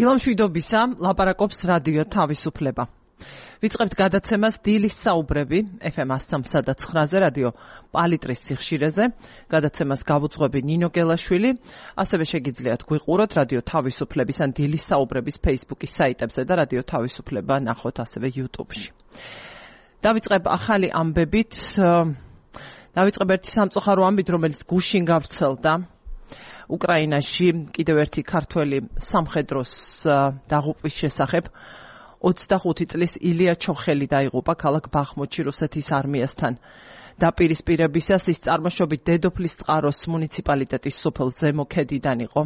დილამშვიდობისა, ლაპარაკობს რადიო თავისუფლება. ვიწყებთ გადაცემას დილის საუბრები FM 103.9-ზე რადიო პალიტრის სიხშირეზე. გადაცემას გავუძღვები ნინო გელაშვილი. ასევე შეგიძლიათ გვიყუროთ რადიო თავისუფლების ან დილის საუბრების Facebook-ის საიტებზე და რადიო თავისუფლება ნახოთ ასევე YouTube-ში. დავიწყებ ახალი ამბებით. დავიწყებ ერთი სამწუხარო ამბით, რომელიც გუშინ გავრცელდა. უკრაინაში კიდევ ერთი ქართველი სამხედროს დაღუპვის შესახებ 25 წლის ილია ჩოხელი დაიღუპა ქალაქ ბახმუთში რუსეთის არმიასთან. დაპირისპირებისას ის წარმოშობით დედოფლის წყაროს მუნიციპალიტეტის სოფელ ზემოქედიდან იყო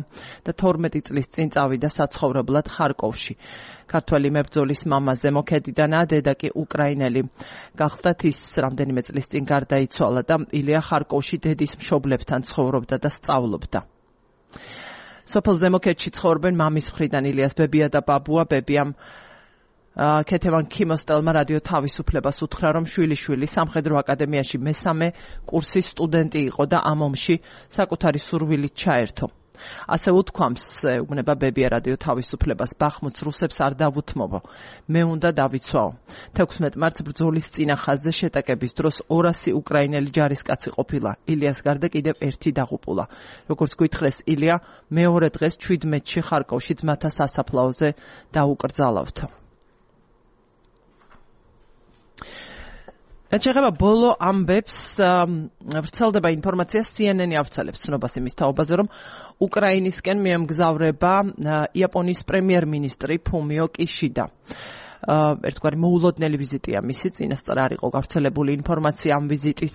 და 12 წლის წინ წავიდა საცხოვრებლად ხარკოვში. ქართველი მებრძოლის მამა ზემოქედიდანაა, დედა კი უკრაინელი. გახდათ ის რამდენიმე წლის წინ გარდაიცვალა და ილია ხარკოვში დედის მშობლებთან ცხოვრობდა და სწავლობდა. სოფელ ზემოქედში ცხოვრობენ მამის მხრიდან ილიას ბებია და ბაბუა. ბებიამ ქეთევან ქიმოსტელმა რადიო თავისუფლებას უთხრა, რომ შვილიშვილი სამხედრო აკადემიაში მესამე კურსის სტუდენტი იყო და ამ ომში საკუთარი სურვილით ჩაერთო. ასე უთქვამს, ეუბნება ბებია რადიო თავისუფლებას, ბახმუთს რუსებს არ დავუთმობო. მე უნდა დავიცვაო. 16 მარტს ბრძოლის წინა ხაზზე შეტაკების დროს 200 უკრაინელი ჯარისკაცი ყოფილა. ილიას გარდა კიდევ ერთი დაღუპულა. როგორც გითხრეს, ილია მეორე დღეს 17-ში ხარკოვში ძმათა სასაფლაოზე დაუკრძალავთ. რაც შეეხება ბოლო ამბებს, ვრცელდება ინფორმაცია, CNN-ი ავრცელებს ცნობას იმის თაობაზე, რომ უკრაინისკენ მიემგზავრება იაპონიის პრემიერ-მინისტრი ფუმიო კიშიდა. ერთგვარი მოულოდნელი ვიზიტია მისი, წინასწარ არ იყო გავრცელებული ინფორმაცია ამ ვიზიტის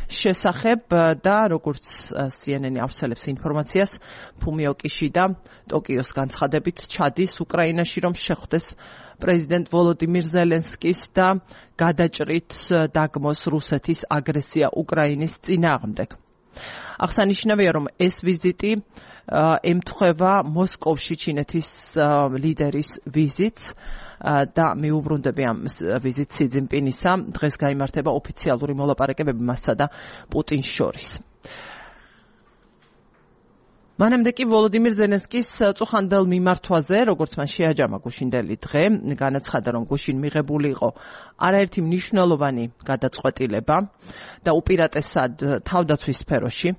შესახებ და როგორც CNN-ი ავრცელებს ინფორმაციას, ფუმიო კიშიდა ტოკიოს განცხადებით ჩადის უკრაინაში, რომ შეხვდეს პრეზიდენტ ვოლოდიმირ ზელენსკის და გადაჭრით დაგმოს რუსეთის აგრესია უკრაინის წინააღმდეგ. აღსანიშნავია, რომ ეს ვიზიტი ემთხვევა მოსკოვში ჩინეთის ლიდერის ვიზიტს და მიუბრუნდები ამ ვიზიტს სი ძინპინისა. დღეს გაიმართება ოფიციალური მოლაპარაკებები მასსა და პუტინს შორის. მანამდე კი ვოლოდიმირ ზელენსკის წუხანდელ მიმართვაზე, როგორც მან შეაჯამა გუშინდელი დღე, განაცხადა, რომ გუშინ მიღებული იყო არაერთი მნიშვნელოვანი გადაწყვეტილება და უპირატესად თავდაცვის სფეროში.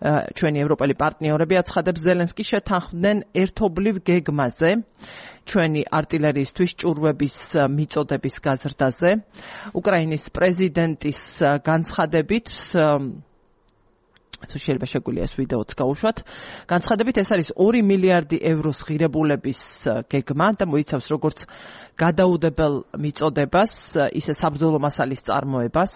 ჩვენი ევროპელი პარტნიორები აცხადებს, ზელენსკი შეთანხმდნენ ერთობლივ გეგმაზე, ჩვენი არტილერიისთვის ჭურვების მიწოდების გაზრდაზე. უკრაინის პრეზიდენტის განცხადებით, შეიძლება შეგვიძლია ეს ვიდეოც გავუშვათ. განცხადებით, ეს არის 2 მილიარდი ევროს ღირებულების გეგმა და მოიცავს როგორც გადაუდებელ მიწოდებას, ისე საბრძოლო მასალის წარმოებას.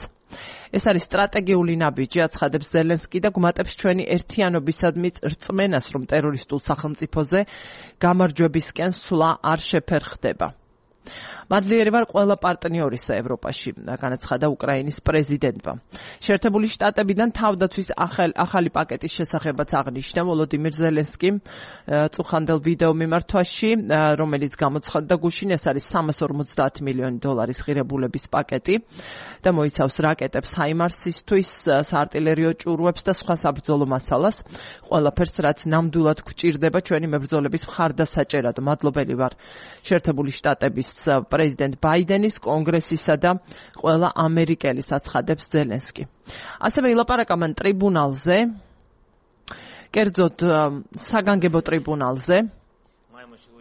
ეს არის სტრატეგიული ნაბიჯი, აცხადებს ზელენსკი და გვმატებს ჩვენი ერთიანობისადმი რწმენას, რომ ტერორისტულ სახელმწიფოზე გამარჯვებისკენ სვლა არ შეფერხდება. მადლიერი ვარ ყველა პარტნიორისა ევროპაში, განაცხადა უკრაინის პრეზიდენტმა. შეერთებული შტატებიდან თავდაცვის ახალი პაკეტის შესახებაც აღნიშნა ვოლოდიმირ ზელენსკიმ წუხანდელ ვიდეო მიმართვაში, რომელიც გამოცხადდა გუშინ. ეს არის 350 მილიონი დოლარის ღირებულების პაკეტი და მოიცავს რაკეტებს ჰაიმარსისთვის, საარტილერიო ჭურვებს და სხვა საბრძოლო მასალას. ყველაფერს, რაც ნამდვილად გვჭირდება ჩვენი მებრძოლების მხარდასაჭერად. მადლობელი ვარ შეერთებული შტატების პრეზიდენტ ბაიდენის, კონგრესისა და ყველა ამერიკელის, აცხადებს ზელენსკი. ასევე ილაპარაკა მან ტრიბუნალზე, კერძოდ საგანგებო ტრიბუნალზე,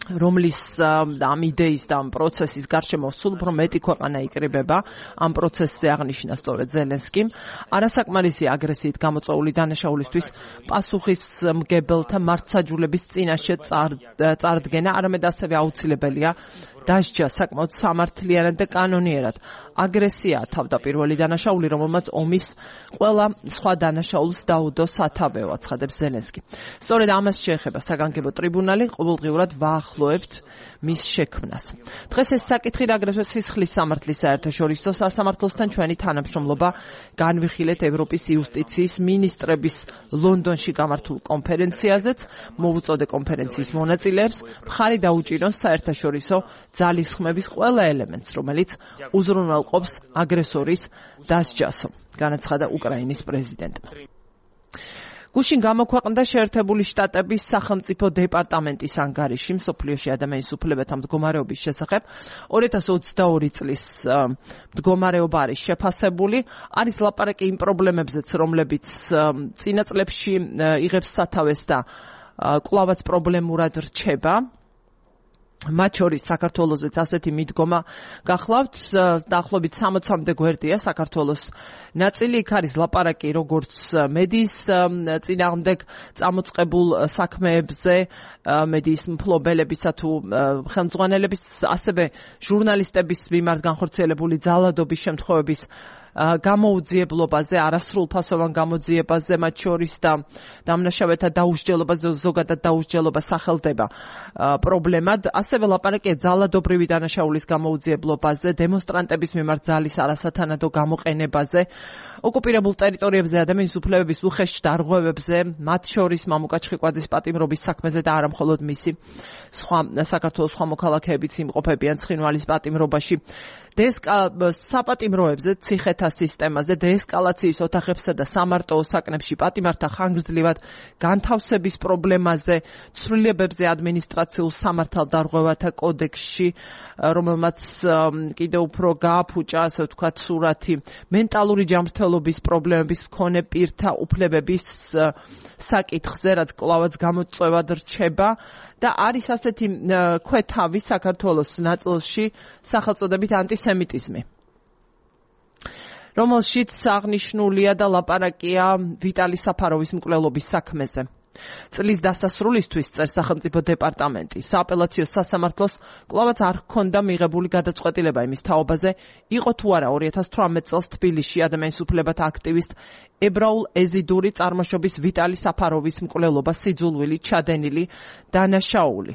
რომლის ამ იდეის და ამ პროცესის გარშემო სულ უფრო მეტი ქვეყანა იკრიბება. ამ პროცესზე აღნიშნა სწორედ ზელენსკიმ. არასაკმარისი აგრესიით გამოწვეული დანაშაულისთვის პასუხისმგებელთა მართსაჯულების წინაშე წარდგენა, არამედ ასევე აუცილებელია დასჯა საკმაოდ სამართლიანად და კანონიერად. აგრესია თავდაპირველი დანაშაული, რომელმაც ომის ყველა სხვა დანაშაულს დაუდო სათავეო, აცხადებს ზელენსკი. სწორედ ამას შეეხება საგანგებო ტრიბუნალი, ყოველდღიურად ვაახლოებთ მის შექმნას. დღეს ეს საკითხი აგრეთვე სისხლის სამართლის საერთაშორისო სასამართლოსთან ჩვენი თანამშრომლობა განვიხილეთ ევროპის იუსტიციის მინისტრების ლონდონში გამართულ კონფერენციაზეც. მოვუწოდე კონფერენციის მონაწილეებს მხარი დაუჭირონ საერთაშორისო ძალისხმების ყველა ელემენტს, რომელიც უზრუნველყოფს აგრესორის დასჯასო, განაცხადა უკრაინის პრეზიდენტმა. გუშინ გამოქვეყნდა შეერთებული შტატების სახელმწიფო დეპარტამენტის ანგარიში მსოფლიოში ადამიანის უფლებათა მდგომარეობის შესახებ 2022 წლის მდგომარეობა არის შეფასებული. არის ლაპარაკი იმ პრობლემებზეც, რომლებიც წინა წლებში იღებს სათავეს და კვლავაც პრობლემურად რჩება. მათ შორის საქართველოსაც ასეთი მიდგომა გახლავთ, დაახლოებით 60-მდე გვერდია საქართველოს ნაწილი. იქ არის ლაპარაკი როგორც მედიის წინააღმდეგ წამოწყებულ საქმეებზე, მედიის მფლობელებისა თუ ხელმძღვანელების, ასევე ჟურნალისტების მიმართ განხორციელებული ძალადობის შემთხვევების გამოუძიებლობაზე, არასრულფასოვან გამოძიებაზე მათ შორის და დამნაშავეთა დაუსჯელობაზე, ზოგადად დაუსჯელობა სახელდება პრობლემად. ასევე ლაპარაკია ძალადობრივი დანაშაულის გამოუძიებლობაზე, დემონსტრანტების მიმართ ძალის არასათანადო გამოყენებაზე, ოკუპირებულ ტერიტორიებზე ადამიანის უფლებების უხეშ დარღვევებზე, მათ შორის მამუკა ჩხიკვაძის პატიმრობის საქმეზე და არა მხოლოდ მისი, საქართველოს სხვა მოქალაქეებიც იმყოფებიან ცხინვალის პატიმრობაში. საპატიმროებზე, ციხეთა სისტემაზე, დეესკალაციის ოთახებსა და სამარტო ოსაკნებში პატიმართა ხანგრძლივად განთავსების პრობლემაზე, ცვლილებებზე ადმინისტრაციულ სამართალდარღვევათა კოდექსში, რომელმაც კიდევ უფრო გააფუჭა, ასე ვთქვათ, სურათი მენტალური ჯანმრთელობის პრობლემების მქონე პირთა უფლებების საკითხზე, რაც კვლავაც გამოწვევად რჩება და არის ასეთი ქვეთავი საქართველოს ნაწილში სახელწოდებით ანტისემიტიზმი, რომელშიც აღნიშნულია და ლაპარაკია ვიტალი საფაროვის მკვლელობის საქმეზე. წლის დასასრულისთვის წერს სახელმწიფო დეპარტამენტი. სააპელაციო სასამართლოს კვლავაც არ ჰქონდა მიღებული გადაწყვეტილება იმის თაობაზე, იყო თუ არა 2018 წელს თბილისში ადამიანის უფლებათა აქტივისტ ებრაულ ეზიდური წარმოშობის ვიტალი საფაროვის მკვლელობა სიძულვილი, ჩადენილი, დანაშაული.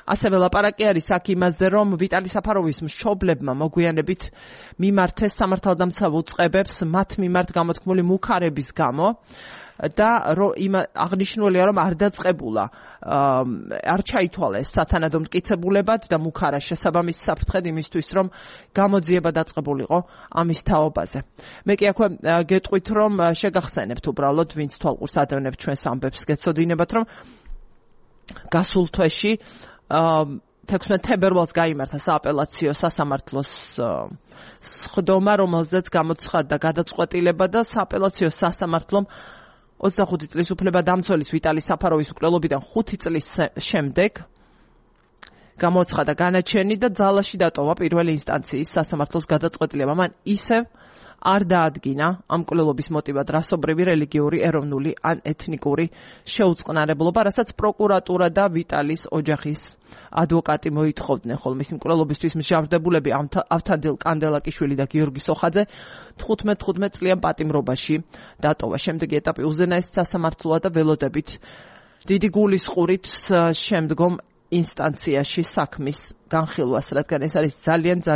ასევე ლაპარაკი არის აქ იმაზე, რომ ვიტალი საფაროვის მშობლებმა მოგვიანებით მიმართეს სამართალდამცავ უწყებებს მათ მიმართ გამოთქმული მუქარების გამო და აღნიშნულია, რომ არ დაწყებულა, არ ჩაითვალა ეს სათანადო მტკიცებულებად და მუქარა შესაბამის საფრთხედ იმისთვის, რომ გამოძიება დაწყებულიყო ამის თაობაზე. მე კი აქვე გეტყვით, რომ შეგახსენებთ უბრალოდ, ვინც თვალყურს ადევნებთ ჩვენს ამბებს, გეცოდინებათ, რომ გასულ თვეში 16 თებერვალს გაიმართა სააპელაციო სასამართლოს სხდომა, რომელზეც გამოცხადდა გადაწყვეტილება და სააპელაციო სასამართლომ 25 წლის უფლებადამცველის ვიტალი საფაროვის მკვლელობიდან 5 წლის შემდეგ გამოცხადა განაჩენი და ძალაში დატოვა პირველი ინსტანციის სასამართლოს გადაწყვეტილება. მან ისევ არ დაადგინა ამ მკვლელობის მოტივად რასობრივი, რელიგიური, ეროვნული ან ეთნიკური შეუწყნარებლობა, რასაც პროკურატურა და ვიტალის ოჯახის ადვოკატი მოითხოვდნენ. ხოლო მისი მკვლელობისთვის მსჯავრდებულები ავთანდილ კანდელაკიშვილი და გიორგი სოხაძე 15 წლიან პატიმრობაში დატოვა. შემდეგი ეტაპი უზენაეს სასამართლოა და ველოდებით დიდი გულისყურით შემდგომ ინსტანციაში საქმის განხილვას, რადგან ეს არის ძალიან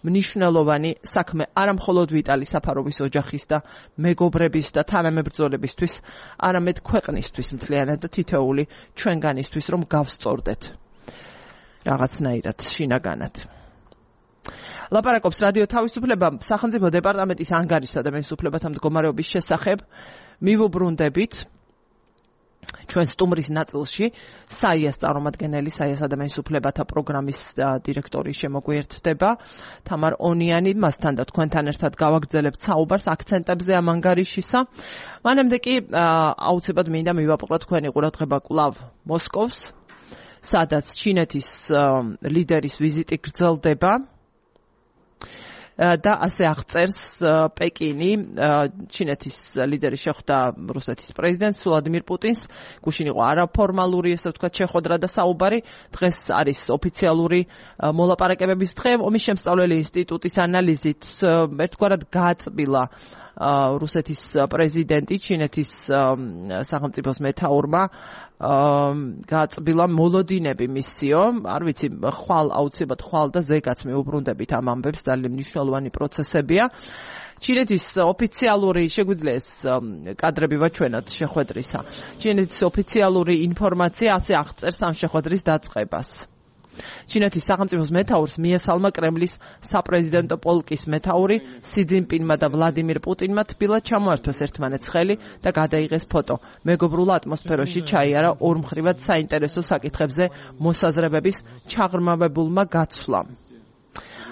მნიშვნელოვანი საქმე არა მხოლოდ ვიტალი საფაროვის ოჯახის და მეგობრების და თანამებრძოლებისთვის, არამედ ქვეყნისთვის მთლიანად და თითოეული ჩვენგანისთვის, რომ გავსწორდეთ რაღაცნაირად შინაგანად. ლაპარაკობს რადიო თავისუფლება სახელმწიფო დეპარტამენტის ანგარიშსა და ადამიანის უფლებათა მდგომარეობის შესახებ. მივუბრუნდებით ჩვენ სტუმრის ნაწილში საიას წარმომადგენელი, საიას ადამიანის უფლებათა პროგრამის დირექტორი შემოგვიერთდება თამარ ონიანი. მასთან და თქვენთან ერთად გავაგრძელებთ საუბარს აქცენტებზე ამ ანგარიშისა. მანამდე კი აუცილებლად მინდა მივაპყროთ თქვენი ყურადღება კვლავ მოსკოვს, სადაც ჩინეთის ლიდერის ვიზიტი გრძელდება და ასე აღწერს პეკინი. ჩინეთის ლიდერი შეხვდა რუსეთის პრეზიდენტს ვლადიმირ პუტინს. გუშინ იყო არაფორმალური, ესე ვთქვათ, შეხვედრა და საუბარი. დღეს არის ოფიციალური მოლაპარაკებების დღე. ომის შემსწავლელი ინსტიტუტის ანალიზით ერთგვარად გააწმილა რუსეთის პრეზიდენტი ჩინეთის სახელმწიფოს მეთაურმა გააწმილა მოლოდინები მისიო. არ ვიცი, აუცილებლად ხვალ და ზეგაც მეუბრუნდებით ამ ამბებს, ძალიან მნიშვნელოვანი პროცესებია. ჩინეთის ოფიციალური, შეგვიძლია ეს კადრები ვაჩვენოთ შეხვედრისა. ჩინეთის ოფიციალური ინფორმაცია ასე აღწერს ამ შეხვედრის დაწყებას. ჩინეთის სახელმწიფოს მეთაურს მიესალმა კრემლის საპრეზიდენტო პოლკის მეთაური სი ძინპინმა და ვლადიმირ პუტინმა თბილად ჩამოართვეს ერთმანეთს ხელი და გადაიღეს ფოტო. მეგობრულ ატმოსფეროში ჩაიარა ორმხრივად საინტერესო საკითხებზე მოსაზრებების ჩაღრმავებულმა გაცვლამ.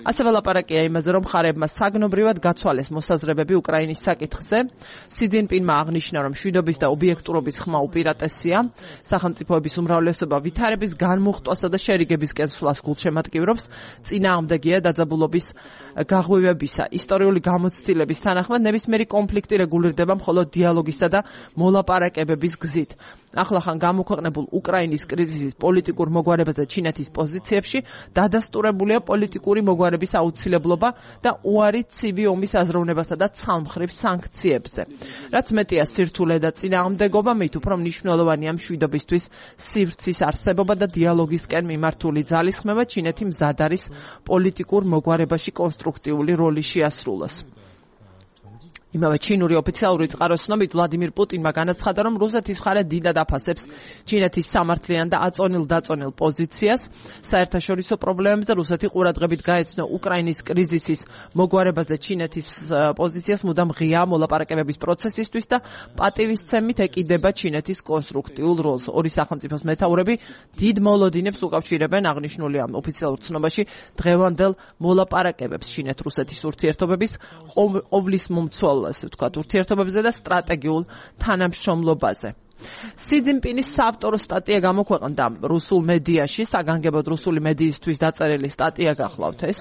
ასევე ლაპარაკია იმაზე, რომ მხარეებმა საგნობრივად გაცვალეს მოსაზრებები უკრაინის საკითხზე. სი ძინპინმა აღნიშნა, რომ მშვიდობის და ობიექტურობის ხმა უპირატესია. სახელმწიფოების უმრავლესობა ვითარების განმუხტვასა და შერიგებისკენ სვლას გულშემატკივრობს. წინააღმდეგია დაძაბულობის გაღვივებისა. ისტორიული გამოცდილების თანახმად ნებისმიერი კონფლიქტი რეგულირდება მხოლოდ დიალოგისა და მოლაპარაკებების გზით. ახლახან გამოქვეყნებულ უკრაინის კრიზისის პოლიტიკურ მოგვარებაზე ჩინეთის პოზიციებში დადასტურებულია პოლიტიკური მოგვარების აუცილებლობა და უარი ცივი ომის აზროვნებასა და ცალმხრივ სანქციებზე. რაც მეტია სირთულე და წინააღმდეგობა, მით უფრო მნიშვნელოვანია მშვიდობისთვის სივრცის არსებობა და დიალოგისკენ მიმართული ძალისხმევა. ჩინეთი მზად არის პოლიტიკურ მოგვარებაში კონსტრუქტიული როლი შეასრულოს. იმავე ჩინური ოფიციალური წყაროს ცნობით ვლადიმირ პუტინმა განაცხადა, რომ რუსეთის მხარე დიდად აფასებს ჩინეთის სამართლიან და აწონილ-დაწონილ პოზიციას. საერთაშორისო პრობლემებზე რუსეთი ყურადღებით გაეცნო უკრაინის კრიზისის მოგვარებაზე ჩინეთის პოზიციას მუდამ ღია მოლაპარაკებების პროცესისთვის და პატივისცემით ეკიდება ჩინეთის კონსტრუქტიულ როლს. ორი სახელმწიფოს მეთაურები დიდ მოლოდინებს უკავშირებენ აღნიშნული ამ ოფიციალურ ცნობაში დღევანდელ მოლაპარაკებებს ჩინეთ-რუსეთის ურთიერთობების ყოვლის მომცველ ასე ვთქვათ, ურთიერთობებზე და სტრატეგიულ თანამშრომლობაზე. სი ძინპინის საავტორო სტატია გამოქვეყნდა რუსულ მედიაში, საგანგებოდ რუსული მედიისთვის დაწერილი სტატია გახლავთ ეს,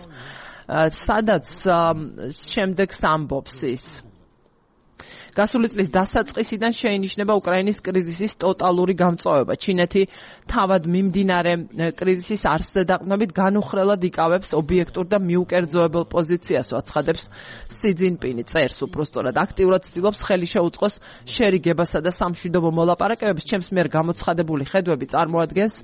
სადაც შემდეგს ამბობს ის. გასული წლის დასაწყისიდან შეინიშნება უკრაინის კრიზისის ტოტალური გამწვავება. ჩინეთი თავად მიმდინარე კრიზისის არსზე დაყრდნობით განუხრელად იკავებს ობიექტურ და მიუკერძოებელ პოზიციას, აცხადებს სი ძინპინი. წერს უბრალოდ აქტიურად ცდილობს ხელი შეუწყოს შერიგებასა და სამშვიდობო მოლაპარაკებებს. ჩემს მიერ გამოცხადებული ხედვები წარმოადგენს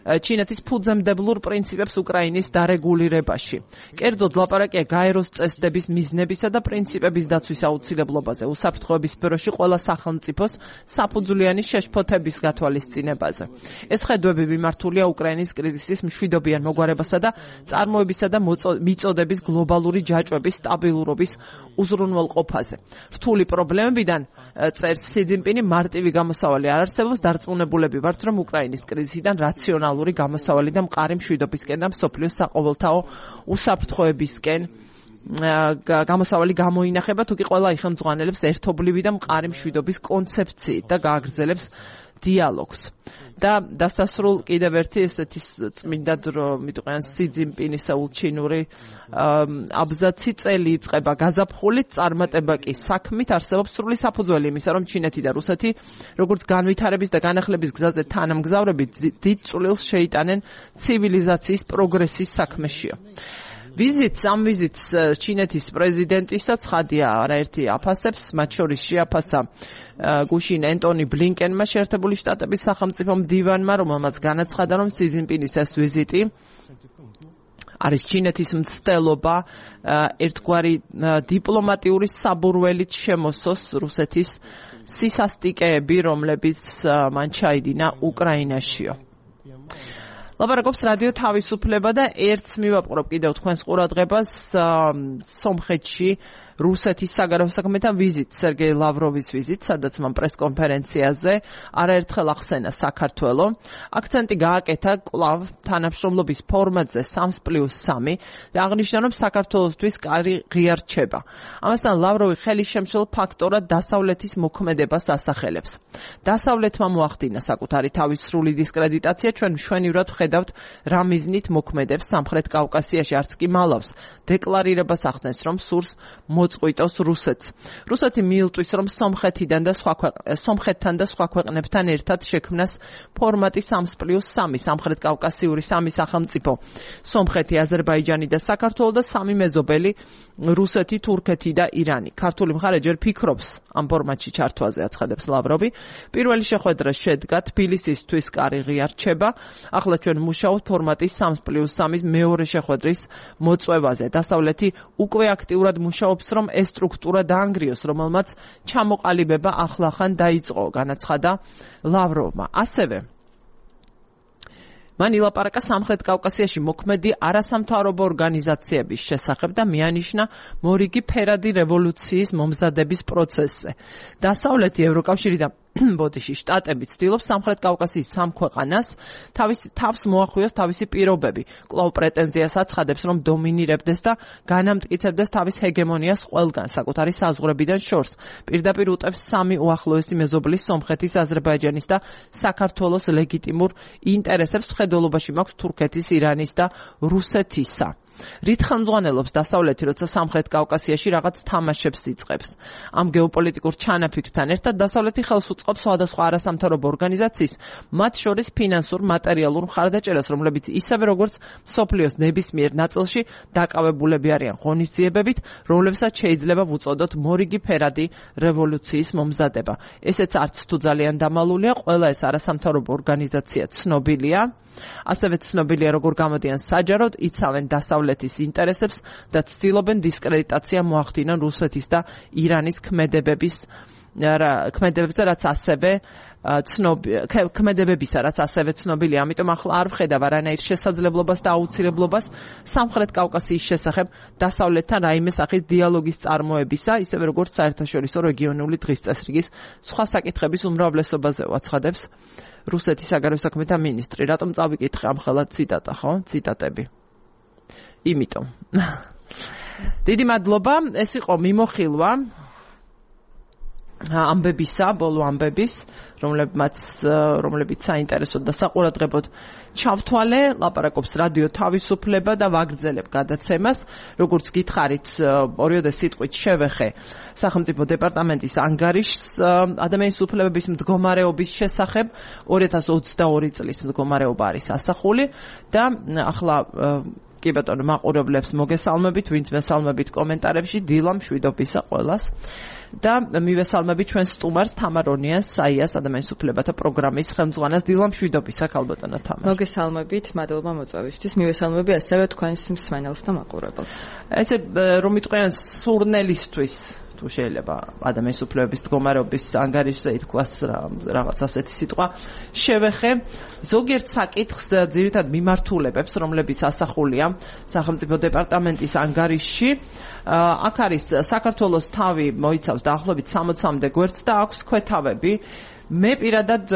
ჩინეთის ფუძემდებლურ პრინციპებს უკრაინის დარეგულირებაში. კერძოდ ლაპარაკია გაეროს წესდების მიზნებისა და პრინციპების დაცვის აუცილებლობაზე, უსაფრთხოების სფეროში ყველა სახელმწიფოს საფუძვლიანი შეშფოთების გათვალისწინებაზე. ეს ხედვები მიმართულია უკრაინის კრიზისის მშვიდობიან მოგვარებასა და წარმოებისა და მიწოდების გლობალური ჯაჭვების სტაბილურობის უზრუნველყოფაზე. რთული პრობლემებიდან წერს სი ძინპინი მარტივი გამოსავალი არ არსებობს, დარწმუნებულები ვართ, რომ უკრაინის კრიზისიდან რაციონალური გამოსავალი და მყარი მშვიდობისკენ და მსოფლიოს საყოველთაო უსაფრთხოებისკენ გამოსავალი გამოინახება, თუკი ყველა იხელმძღვანელებს ერთობლივი და მყარი მშვიდობის კონცეფციით და გააგრძელებს დიალოგს. და დასასრულ კიდევ ერთი ესეთი წმინდად რომ მიტყვიან სი ძინპინის ჩინური აბზაცი წელი იწყება გაზაფხულით, წარმატება კი საქმით. არსებობს სრული საფუძველი იმისა, რომ ჩინეთი და რუსეთი როგორც განვითარების და განახლების გზაზე თანამგზავრები დიდ წვლილს შეიტანენ ცივილიზაციის პროგრესის საქმეშია. ამ ვიზიტს ჩინეთის პრეზიდენტისაც ხადია არაერთი აფასებს, მათ შორის შეაფასა გუშინ ენტონი ბლინკენმა შეერთებული შტატების სახელმწიფო მდივანმა, რომელმაც განაცხადა, რომ სი ძინპინის ეს ვიზიტი არის ჩინეთის მცდელობა ერთგვარი დიპლომატიური საბურველით შემოსოს რუსეთის სისასტიკეები, რომლებიც მან ჩაიდინა უკრაინაშიო. ლაპარაკობს რადიო თავისუფლება და ერთს მივაპყრობ კიდევ თქვენს ყურადღებას სომხეთში რუსეთის საგარეო საქმეთა ვიზიტ, სერგეი ლავროვის ვიზიტ, სადაც მან პრესკონფერენციაზე არაერთხელ ახსენა საქართველო. აქცენტი გააკეთა კვლავ თანამშრომლობის ფორმატზე 3+3 და აღნიშნა, რომ საქართველოსთვის კარი ღია რჩება. ამასთან ლავროვი ხელისშემშელ ფაქტორად დასავლეთის მოქმედებას ასახელებს. დასავლეთმა მოახდინა საკუთარი თავის სრული დისკრედიტაცია, ჩვენ მშვენივრად ვხედავთ რა მიზნით მოქმედებს სამხრეთ კავკასიაში, არც კი მალავს დეკლარირებას ახდენს, რომ სურს მოწყვიტოს რუსეთს. რუსეთი მიილტვის, რომ სომხეთთან და სხვა ქვეყნებთან ერთად შექმნას ფორმატი 3+3 სამხრეთ კავკასიური სამი სახელმწიფო, სომხეთი, აზერბაიჯანი და საქართველო და სამი მეზობელი რუსეთი, თურქეთი და ირანი. ქართული მხარე ჯერ ფიქრობს ამ ფორმატში ჩართვაზე, აცხადებს ლავროვი. პირველი შეხვედრა შედგა თბილისისთვის კარი ღია რჩება. ახლა ჩვენ მუშაობთ ფორმატის 3+3 მეორე შეხვედრის მოწვევაზე. დასავლეთი უკვე აქტიურად მუშაობს, რომ ეს სტრუქტურა დაანგრიოს, რომელმაც ჩამოყალიბება ახლახან დაიწყო, განაცხადა ლავროვმა. ასევე მან ილაპარაკა სამხრეთ კავკასიაში მოქმედი არასამთავრობო ორგანიზაციების შესახებ და მიანიშნა მორიგი ფერადი რევოლუციის მომზადების პროცესზე. დასავლეთი ევროკავშირი და ბოდიში შტატები ცდილობს სამხრეთ კავკასიის სამ ქვეყანას თავს მოახვიოს თავისი პირობები. კვლავ პრეტენზიას აცხადებს, რომ დომინირებდეს და განამტკიცებდეს თავის ჰეგემონიას ყველგან, საკუთარი საზღვრებიდან შორს. პირდაპირ უწევს სამი უახლოესი მეზობლის სომხეთის, აზერბაიჯანის და საქართველოს ლეგიტიმურ ინტერესებს. მხედველობაში მაქვს თურქეთის, ირანის და რუსეთისა. რით ხელმძღვანელობს დასავლეთი, როცა სამხრეთ კავკასიაში რაღაც თამაშებს იწყებს. ამ გეოპოლიტიკურ ჩანაფიქრთან ერთად დასავლეთი ხელს უწყობს სხვადასხვა არასამთავრობო ორგანიზაციის, მათ შორის ფინანსურ, მატერიალურ მხარდაჭერას, რომლებიც ისევე როგორც მსოფლიოს ნებისმიერ ნაწილში დაკავებულები არიან ღონისძიებებით, რომლებსაც შეიძლება ვუწოდოთ მორიგი ფერადი რევოლუციის მომზადება. ესეც არც თუ ძალიან დამალულია, ყველა ეს არასამთავრობო ორგანიზაცია ცნობილია. ასევე ცნობილია, როგორ გამოდიან საჯაროდ, იცავენ დასავლეთის ინტერესებს და ცდილობენ დისკრედიტაცია მოახდინონ რუსეთის და ირანის ქმედებებზე, რაც ასევე ცნობილია. ამიტომ ახლა არ ვხედავ არანაირ შესაძლებლობას და აუცილებლობას სამხრეთ კავკასიის შესახებ დასავლეთთან რაიმე სახის დიალოგის წარმოებისა, ისევე როგორც საერთაშორისო რეგიონული დღესწესრიგის სხვა საკითხების უმრავლესობაზე აცხადებს რუსეთის საგარეო საქმეთა მინისტრი. რატომ წავიკითხე ამ ხელად ციტატა, ხო? ციტატები. იმიტომ. დიდი მადლობა. ეს იყო მიმოხილვა ამბებისა, ბოლო ამბების, რომლებიც საინტერესოდ და საყურადღებოდ ჩავთვალე. ლაპარაკობს რადიო თავისუფლება და ვაგრძელებ გადაცემას. როგორც გითხარით, ორიოდე სიტყვით შევეხე სახელმწიფო დეპარტამენტის ანგარიშს ადამიანის უფლებების მდგომარეობის შესახებ. 2022 წლის მდგომარეობა არის ასახული და ახლა კი ბატონო, მაყურებლებს მოგესალმებით, ვინც მესალმებით კომენტარებში, დილა მშვიდობისა ყველას. და მივესალმები ჩვენს სტუმარს თამარ ონიას, საიას ადამიანის უფლებათა პროგრამის ხელმძღვანელს. დილა მშვიდობისა, ქალბატონო თამარ. მოგესალმებით, მადლობა მოწვევისთვის. მივესალმები ასევე თქვენს მსმენელს და მაყურებელს. ესე რომ იყვნენ სურნელისთვის თუ შეიძლება ადამიანის უფლებების მდგომარეობის ანგარიშზე ითქვას რაღაც ასეთი სიტყვა შევეხე ზოგიერთ საკითხს ძირითადად მიმართულებებს, რომლებიც ასახულია სახელმწიფო დეპარტამენტის ანგარიშში. აქ არის საქართველოს თავი მოიცავს დაახლოებით 60-მდე გვერდს და აქვს ქვეთავები. მე პირადად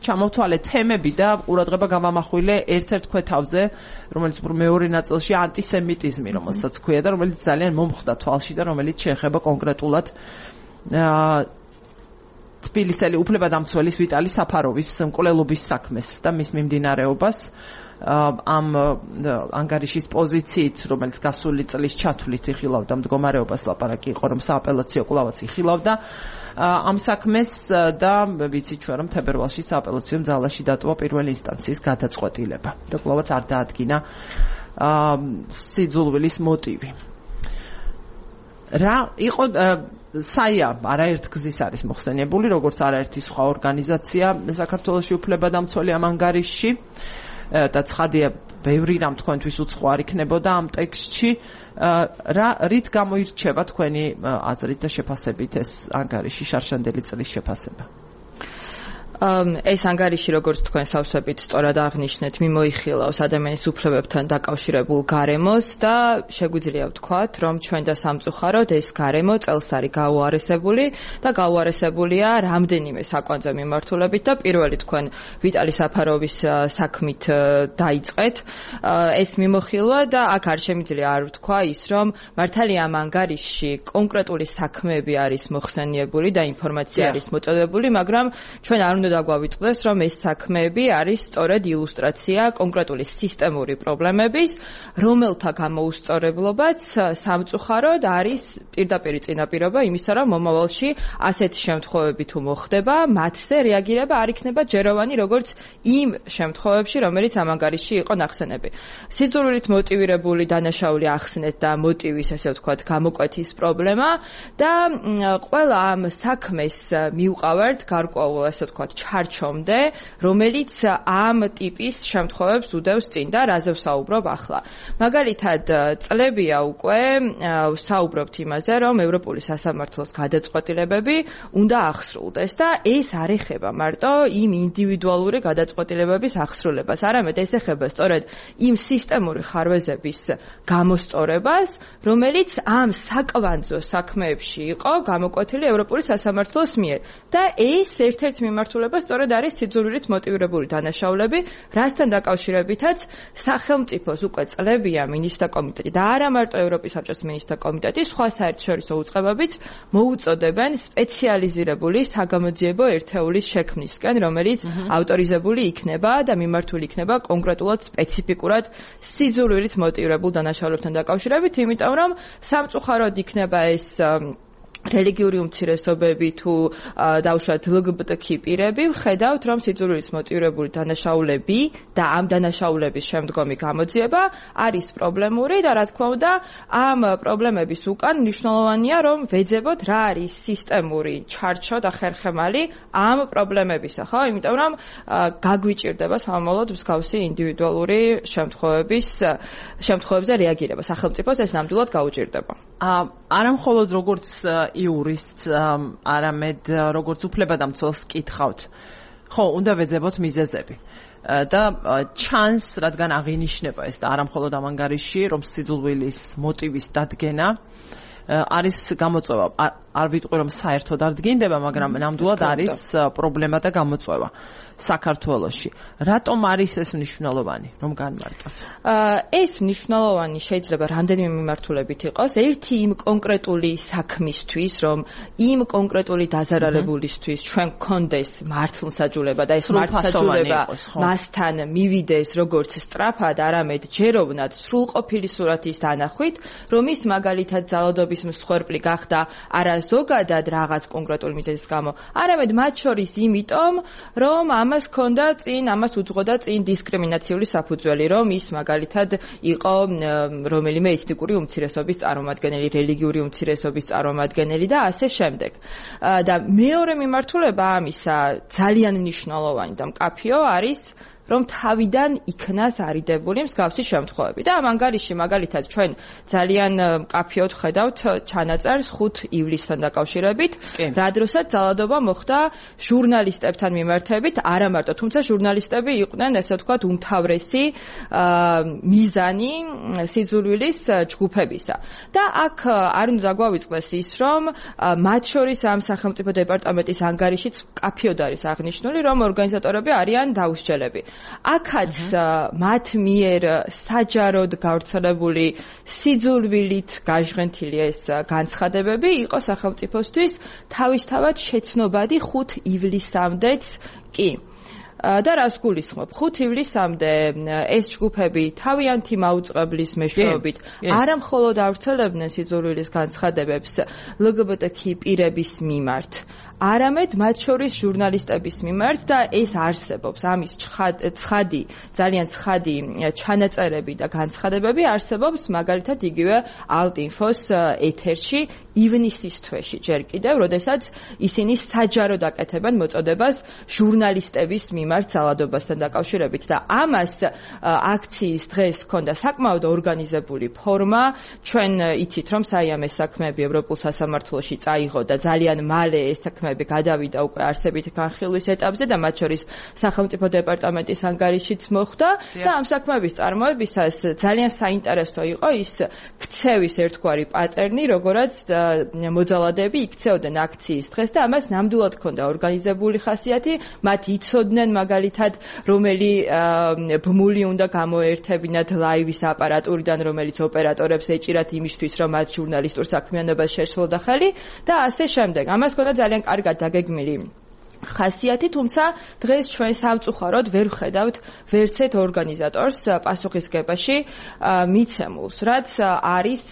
ჩამოვთვალე თემები და ყურადღება გამამახვილე ერთ-ერთ ქვეთავზე, რომელიც მეორე ნაწილში ანტისემიტიზმი, რომელსაც ქვია და რომელიც ძალიან მომხვდა თვალში და რომელიც შეეხება კონკრეტულად თბილისელი უფლებადამცველის ვიტალი საფაროვის მკვლელობის საქმეს და მის მიმდინარეობას. ამ ანგარიშის პოზიციით, რომელიც გასული წლის ჩათვლით იხილავდა მდგომარეობას, ლაპარაკი იყო, რომ სააპელაციო კვლავაც იხილავდა ამ საქმეს და ვიცით ჩვენ, რომ თებერვალში სააპელაციო ძალაში დატოვა პირველი ინსტანციის გადაწყვეტილება და კვლავაც არ დაადგინა სიძულვილის მოტივი. რა იყო საია არაერთ გზის არის მოხსენიებული, როგორც არაერთი სხვა ორგანიზაცია საქართველოში უფლებადამცველი ამ ანგარიშში. და ცხადია, ბევრი რამ თქვენთვის უცხო არ იქნებოდა ამ ტექსტში. რით გამოირჩევა თქვენი აზრით და შეფასებით ეს ანგარიში, შარშანდელი წლის შეფასება? ეს ანგარიში, როგორც თქვენ სავსებით სწორად აღნიშნეთ, მიმოიხილავს ადამიანის უფლებებთან დაკავშირებულ გარემოს და შეგვიძლია ვთქვათ, რომ ჩვენ და სამწუხაროდ ეს გარემო წელს არის გაუარესებული და გაუარესებულია რამდენიმე საკვანძე მიმართულებით და პირველი თქვენ ვიტალი საფაროვის საქმით დაიწყეთ ეს მიმოხილვა და აქ არ შემიძლია არ ვთქვა ის, რომ მართალია ამ ანგარიშში კონკრეტული საქმეები არის მოხსენიებული და ინფორმაცია არის მოწოდებული, მაგრამ ჩვენ არ უნდა დაგვავიწყდეს, რომ ეს საქმეები არის სწორედ ილუსტრაცია კონკრეტული სისტემური პრობლემების, რომელთა გამოუსწორებლობაც სამწუხაროდ არის პირდაპირ წინაპირობა იმისა, რომ მომავალში ასეთი შემთხვევები თუ მოხდება, მათზე რეაგირება არ იქნება ჯეროვანი, როგორც იმ შემთხვევებში, რომელიც ამ ანგარიშში იყო ნახსენები. სიძულვილით მოტივირებული დანაშაული ახსნეთ და მოტივის, ესე ვთქვათ, გამოკვეთის პრობლემა და ყველა ამ საქმეს მივყავართ გარკვეულ, ესე ვთქვათ, ჩარჩომდე, რომელიც ამ ტიპის შემთხვევებს უდევს წინ და რაზე ვსაუბრობ ახლა. მაგალითად, წლებია უკვე საუბრობთ იმაზე, რომ ევროპული სასამართლოს გადაწყვეტილებები უნდა აღსრულდეს და ეს არ ეხება მარტო იმ ინდივიდუალური გადაწყვეტილებების აღსრულებას, არამედ ეს ეხება სწორედ იმ სისტემური ხარვეზების გამოსწორებას, რომელიც ამ საკვანძო საქმეებში იყო გამოკვეთილი ევროპული სასამართლოს მიერ. და ეს ერთ-ერთი მიმართულება სწორედ არის სიძულვილით მოტივირებული დანაშაულები, რასთან დაკავშირებითაც სახელმწიფოს უკვე წლებია მინისტრთა კომიტეტი და არა მარტო ევროპის საბჭოს მინისტრთა კომიტეტი, სხვა საერთაშორისო უწყებებიც მოუწოდებენ სპეციალიზირებული საგამოძიებო ერთეულის შექმნისკენ, რომელიც ავტორიზებული იქნება და მიმართული იქნება კონკრეტულად სპეციფიკურად სიძულვილით მოტივირებულ დანაშაულებთან დაკავშირებით, იმიტომ რომ სამწუხაროდ იქნება ეს რელიგიური უმცირესობები თუ დაუშვათ LGBT პირები ვხედავთ, რომ სიძულვილით მოტივირებული დანაშაულები და ამ დანაშაულების შემდგომი გამოძიება არის პრობლემური და რა თქმა უნდა, ამ პრობლემების უკან მნიშვნელოვანია, რომ ვეძებოთ რა არის სისტემური ჩარჩო და ხერხემალი ამ პრობლემებისა, ხო? იმიტომ რომ გაგვიჭირდება სამომავლოდ მსგავსი ინდივიდუალური შემთხვევებზე რეაგირება. სახელმწიფოს ეს ნამდვილად გაუჭირდება. არა მხოლოდ როგორც იურისტს, არამედ როგორც უფლებადამცველს კითხავთ. ხო, უნდა ვეძებოთ მიზეზები. და ჩანს, რადგან აღინიშნება ეს და არა მხოლოდ ამ ანგარიში, რომ სიძულვილის მოტივის დადგენა არის გამოწვევა. არ ვიტყვი, რომ საერთოდ არ დგინდება, მაგრამ ნამდვილად არის პრობლემა და გამოწვევა საქართველოში. რატომ არის ეს მნიშვნელოვანი, რომ განმარტოთ? ეს მნიშვნელოვანი შეიძლება რამდენიმე მიმართულებით იყოს. ერთი იმ კონკრეტული საქმისთვის, რომ იმ კონკრეტული დაზარალებულისთვის ჩვენ გქონდეს მართლმსაჯულება და ეს მართლმსაჯულება მასთან მივიდეს როგორც სწრაფად, არამედ ჯეროვნად სრულყოფილი სურათის დანახვით, რომ ის მაგალითად ძალადობის მსხვერპლი გახდა არა ზოგადად რაღაც კონკრეტული მიზეზის გამო, არამედ მათ შორის იმიტომ, რომ ამას უძღოდა წინ დისკრიმინაციული საფუძველი, რომ ის მაგალითად იყო რომელიმე ეთნიკური უმცირესობის წარმომადგენელი, რელიგიური უმცირესობის წარმომადგენელი და ასე შემდეგ. და მეორე მიმართულება ამისა ძალიან მნიშვნელოვანი და მკაფიო არის რომ თავიდან იქნას არიდებული მსგავსი შემთხვევები. და ამ ანგარიში მაგალითად ჩვენ ძალიან მკაფიოდ ხედავთ ჩანაწერს 5 ივლისთან დაკავშირებით, რა დროსაც ძალადობა მოხდა ჟურნალისტებთან მიმართებით, არა მარტო, თუმცა ჟურნალისტები იყვნენ, ესე ვთქვათ, უმთავრესი მიზანი სიძულვილის ჯგუფებისა. და აქ არ უნდა დაგვავიწყდეს ის, რომ მათ შორის ამ სახელმწიფო დეპარტამენტის ანგარიშიც მკაფიოდ არის აღნიშნული, რომ ორგანიზატორები არიან დაუსჯელები. აქაც მათ მიერ საჯაროდ გავრცელებული სიძულვილით გაჟღენთილი ეს განცხადებები იყო სახელმწიფოსთვის თავისთავად შეცნობადი 5 ივლისამდეც კი. და რას გულისხმობ? 5 ივლისამდე ეს ჯგუფები თავიანთი მაუწყებლის მეშვეობით არა მხოლოდ ავრცელებდნენ სიძულვილის განცხადებებს LGBT პირების მიმართ, არამედ მათ შორის ჟურნალისტების მიმართ და ეს არსებობს, ამის ძალიან ცხადი ჩანაწერები და განცხადებები არსებობს მაგალითად იგივე ალტ-ინფოს ეთერში ივნისის თვეში ჯერ კიდევ, როდესაც ისინი საჯაროდ აკეთებენ მოწოდებას ჟურნალისტების მიმართ ძალადობასთან დაკავშირებით და ამას აქციის დღეს ჰქონდა საკმაოდ ორგანიზებული ფორმა. ჩვენ იცით, რომ საიამეს საქმეები ევროპულ სასამართლოში წაიღო და ძალიან მალე ეს საქმეები გადავიდა უკვე არსებითი განხილვის ეტაპზე და მათ შორის სახელმწიფო დეპარტამენტის ანგარიშიც მოხდა და ამ საქმეების წარმოებისას ძალიან საინტერესო იყო ის ქცევის ერთგვარი პატერნი, როგორაც მოძალადეები იქცეოდნენ აქციის დღეს და ამას ნამდვილად ჰქონდა ორგანიზებული ხასიათი. მათ იცოდნენ მაგალითად რომელი ბმული უნდა გამოერთებინათ ლაივის აპარატურიდან, რომელიც ოპერატორებს ეჭირათ იმისთვის, რომ მათ ჟურნალისტურ საქმიანობას შეშლოდა ხელი და ასე შემდეგ. ამას ჰქონდა ძალიან კარგად დაგეგმილი ხასიათი, თუმცა დღეს ჩვენ სამწუხაროდ ვერ ვხედავთ ვერც ერთ ორგანიზატორს პასუხისგებაში მიცემულს, რაც არის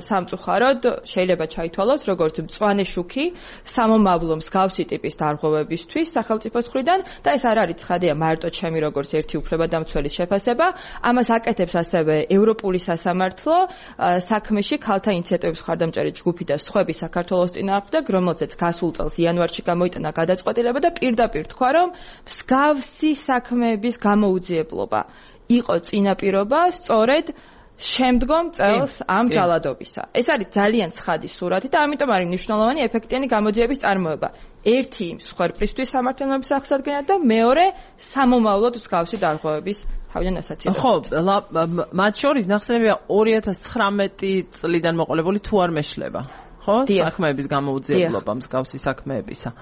სამწუხაროდ შეიძლება ჩაითვალოს როგორც მწვანე შუქი სამომავლო მსგავსი ტიპის დარღვევებისთვის სახელმწიფოს მხრიდან და ეს არ არის ცხადია მარტო ჩემი როგორც ერთი უფლებადამცველის შეფასება, ამას აკეთებს ასევე ევროპული სასამართლო საქმეში ქალთა ინიციატივების მხარდამჭერი ჯგუფი და სხვები საქართველოს წინააღმდეგ, რომელზეც გასულ წელს იანვარში გამოიტანა გადაწყვეტილება შეიძლება და პირდაპირ თქვა, რომ მსგავსი საქმეების გამოუძიებლობა იყო წინაპირობა სწორედ შემდგომ წელს ამ ძალადობისა. ეს არის ძალიან ცხადი სურათი და ამიტომ არის მნიშვნელოვანი ეფექტიანი გამოძიების წარმოება. ერთი მსხვერპლისთვის სამართლიანობის აღსადგენად და მეორე სამომავლოდ მსგავსი დარღვევების თავიდან ასაცილებლად. ხო, მათ შორის ნახსენებია 2019 წლიდან მოყოლებული თუ არ მეშლება. ხო? საქმეების გამოუძიებლობა მსგავსი საქმეებისა.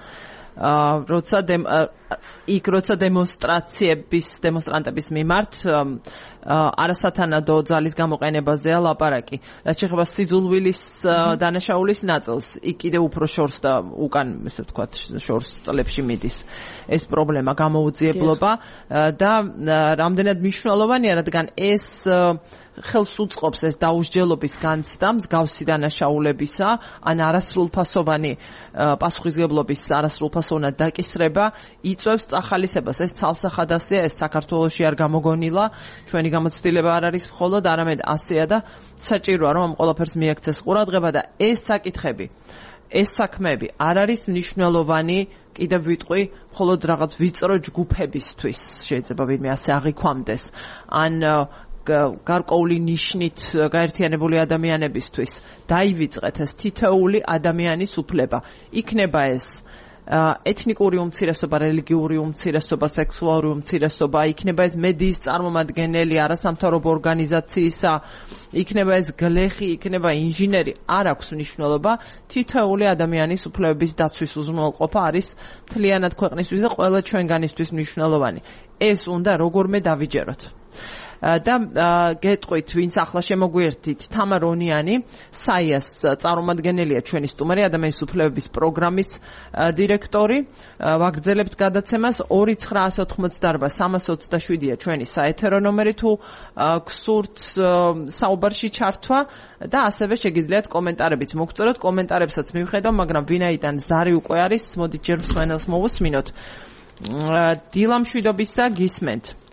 როცა დემონსტრანტების მიმართ არასათანადო ძალის გამოყენებაზეა ლაპარაკი. რაც შეეხება სიძულვილის დანაშაულის ნაწილს, იქ კიდევ უფრო შორს და უკან, ესე ვთქვათ, შორს წლებში მიდის ეს პრობლემა გამოუძიებლობა და რამდენად მნიშვნელოვანია, რადგან ეს ხელს უწყობს ეს დაუსჯელობის განცდა მსგავსი დანაშაულებისა, ან არასრულფასოვანი პასუხისმგებლობის არასრულფასოვნად დაკისრება იწვევს წახალისებას. ეს ცალსახადასია, ეს საქართველოში არ გამოგონილა, ჩვენი გამოცდილება არ არის მხოლოდ, არამედ ასეა და საჭიროა რომ ამ ყველაფერს მიექცეს ყურადღება და ეს საკითხები, ეს საქმეები არ არის მნიშვნელოვანი კიდევ ვიტყვი მხოლოდ რაღაც ვიწრო ჯგუფებისთვის, შეიძლება ვინმე ასე აღიქვამდეს, ან გარკვეული ნიშნით გაერთიანებული ადამიანებისთვის დაივიწყეთ ეს თითოეული ადამიანის უფლება. იქნება ეს ეთნიკური უმცირესობა, რელიგიური უმცირესობა, სექსუალური უმცირესობა, იქნება ეს მედიის წარმომადგენელი, არასამთავრობო ორგანიზაციისა, იქნება ეს გლეხი, იქნება ინჟინერი, არ აქვს მნიშვნელობა. თითოეული ადამიანის უფლებების დაცვის უზრუნველყოფა არის მთლიანად ქვეყნისთვის და ყველა ჩვენგანისთვის მნიშვნელოვანი. ეს უნდა როგორმე დავიჯეროთ. და გეტყვით, ვინც ახლა შემოგვიერთით, თამარ ონიანი, საიას წარმომადგენელია ჩვენი სტუმარი, ადამიანის უფლებების პროგრამის დირექტორი. ვაგრძელებთ გადაცემას 2988327-ია ჩვენი საეთერო ნომერი, თუ გსურთ საუბარში ჩართვა და ასევე შეგიძლიათ კომენტარებიც მოგწეროთ, კომენტარებსაც მივხედავ, მაგრამ ვინაიდან ზარი უკვე არის, მოდით ჯერ მსმენელს მოვუსმინოთ. დილა მშვიდობისა, გისმენთ.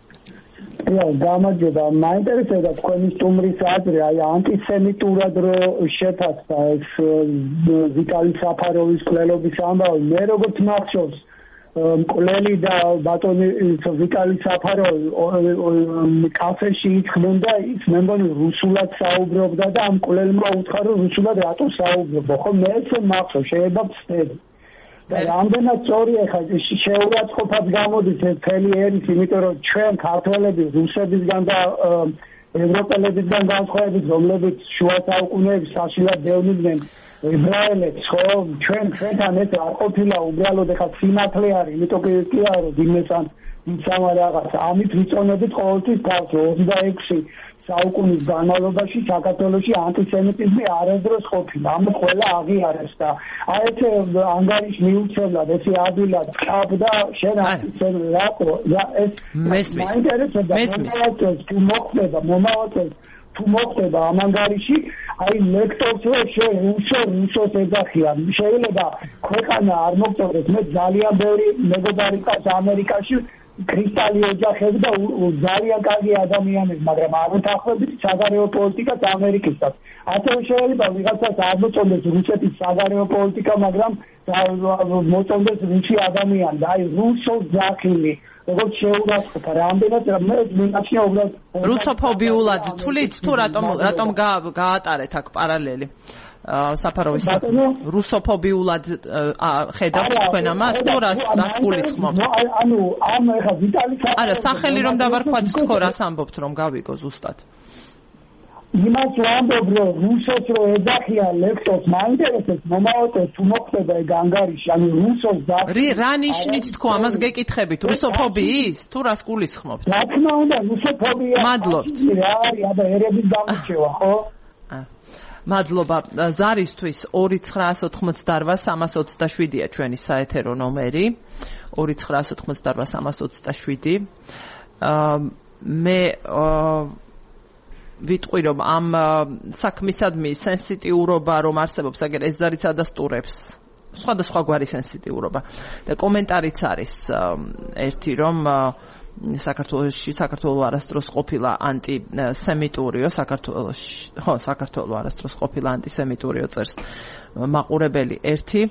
გამარჯობა, მაინტერესებდა თქვენი სტუმრის აზრი, აი ანტისემიტურად რო შეფასდა ეს ვიტალი საფაროვის მკვლელობის ამბავი. მე როგორც მახსოვს, მკვლელი და ბატონი ვიტალი საფაროვი კაფეში იწყდნენ და ის მე მგონი რუსულად საუბრობდა და ამ მკვლელმა უთხრა რომ რუსულად რატო საუბრობ, ხო მე ესე მახსოვს, შეიძლება ვცდები. და რამდენად სწორია ხა შეურაცხყოფად გამოდის ეს მთელი ერის, იმიტომ რომ ჩვენ ქართველები რუსებისგან და ევროპელებისგან განსხვავებით, რომლებიც შუა საუკუნეების საშინლად დევნიდნენ ებრაელებს, ხო, ჩვენთან ეს არ ყოფილა უბრალოდ ხა სიმართლე არის, იმიტომ კი არა რომ იმესან იცამა რაღაც, ამით ვიწონებით ყოველთვის თავს 26 საუკუნის განმავლობაში საქართველოში ანტისემიტიზმი არასდროს ყოფილა, ამ ყველა აღიარეს და აი ეს ანგარიში მიუცემლად, ესე ადვილად ყავდა შენ ანტისემიტი რატო ეს მაინტერესებდა მომავალს თუ მოხდება ამ ანგარიში, აი ლექტორს რო რუსოს ეძახიან, შეიძლება ქვეყანა არ მოგწოდოს, მე ძალიან ბევრი მეგობარი ყავს ამერიკაში, კრისტალი ოჯახები და ძალიან კარგი ადამიანები, მაგრამ არ უთანხმებით საგარეო პოლიტიკას ამერიკისთან. ასევე შეიძლება ვიღაცას არ მოწონდეს რუსეთის საგარეო პოლიტიკა, მაგრამ მოწონდეს რუსი ადამიანი და აი რუსოს ძახილი, როგორც შეურაცხყოფა, რამდენად მე მინაშია უბრალოდ რუსოფობიულად თulit თუ რატომ გაატარეთ აქ პარალელი? საფაროვის რუსოფობიულად ხედავთ თქვენ ამას, თუ რას გულისხმობთ? ანუ ამ ეხა ვიტალი არა, სახელი რომ დავარქვათ, თქო რას ამბობთ რომ გავიგო ზუსტად? იმას ვამბობ, რომ რუსოს რო ეძახიან ლექტორს, მაინტერესებს მომავალს თუ მოხდება ეგ ანგარიში, ანუ რუსოს რა ნიშნით თქო, ამას გეკითხებით, რუსოფობიის? თუ რას გულისხმობთ? რა თქმა უნდა, რუსოფობია. მადლობთ. რა არის, აბა ერების გამორჩევა, ხო? მადლობა. ზარისთვის 2988327-ია ჩვენი საეთერო ნომერი. 2988327. მე ვიტყვი რომ ამ საქმისადმი სენსიტიურობა რომ არსებობს, აგერ ეს ზარიც ადასტურებს სხვადასხვა გვარი სენსიტიურობა და კომენტარიც არის ერთი რომ საქართველო არასდროს ყოფილა ანტისემიტურიო, საქართველო არასდროს ყოფილა ანტისემიტურიო წერს მაყურებელი ერთი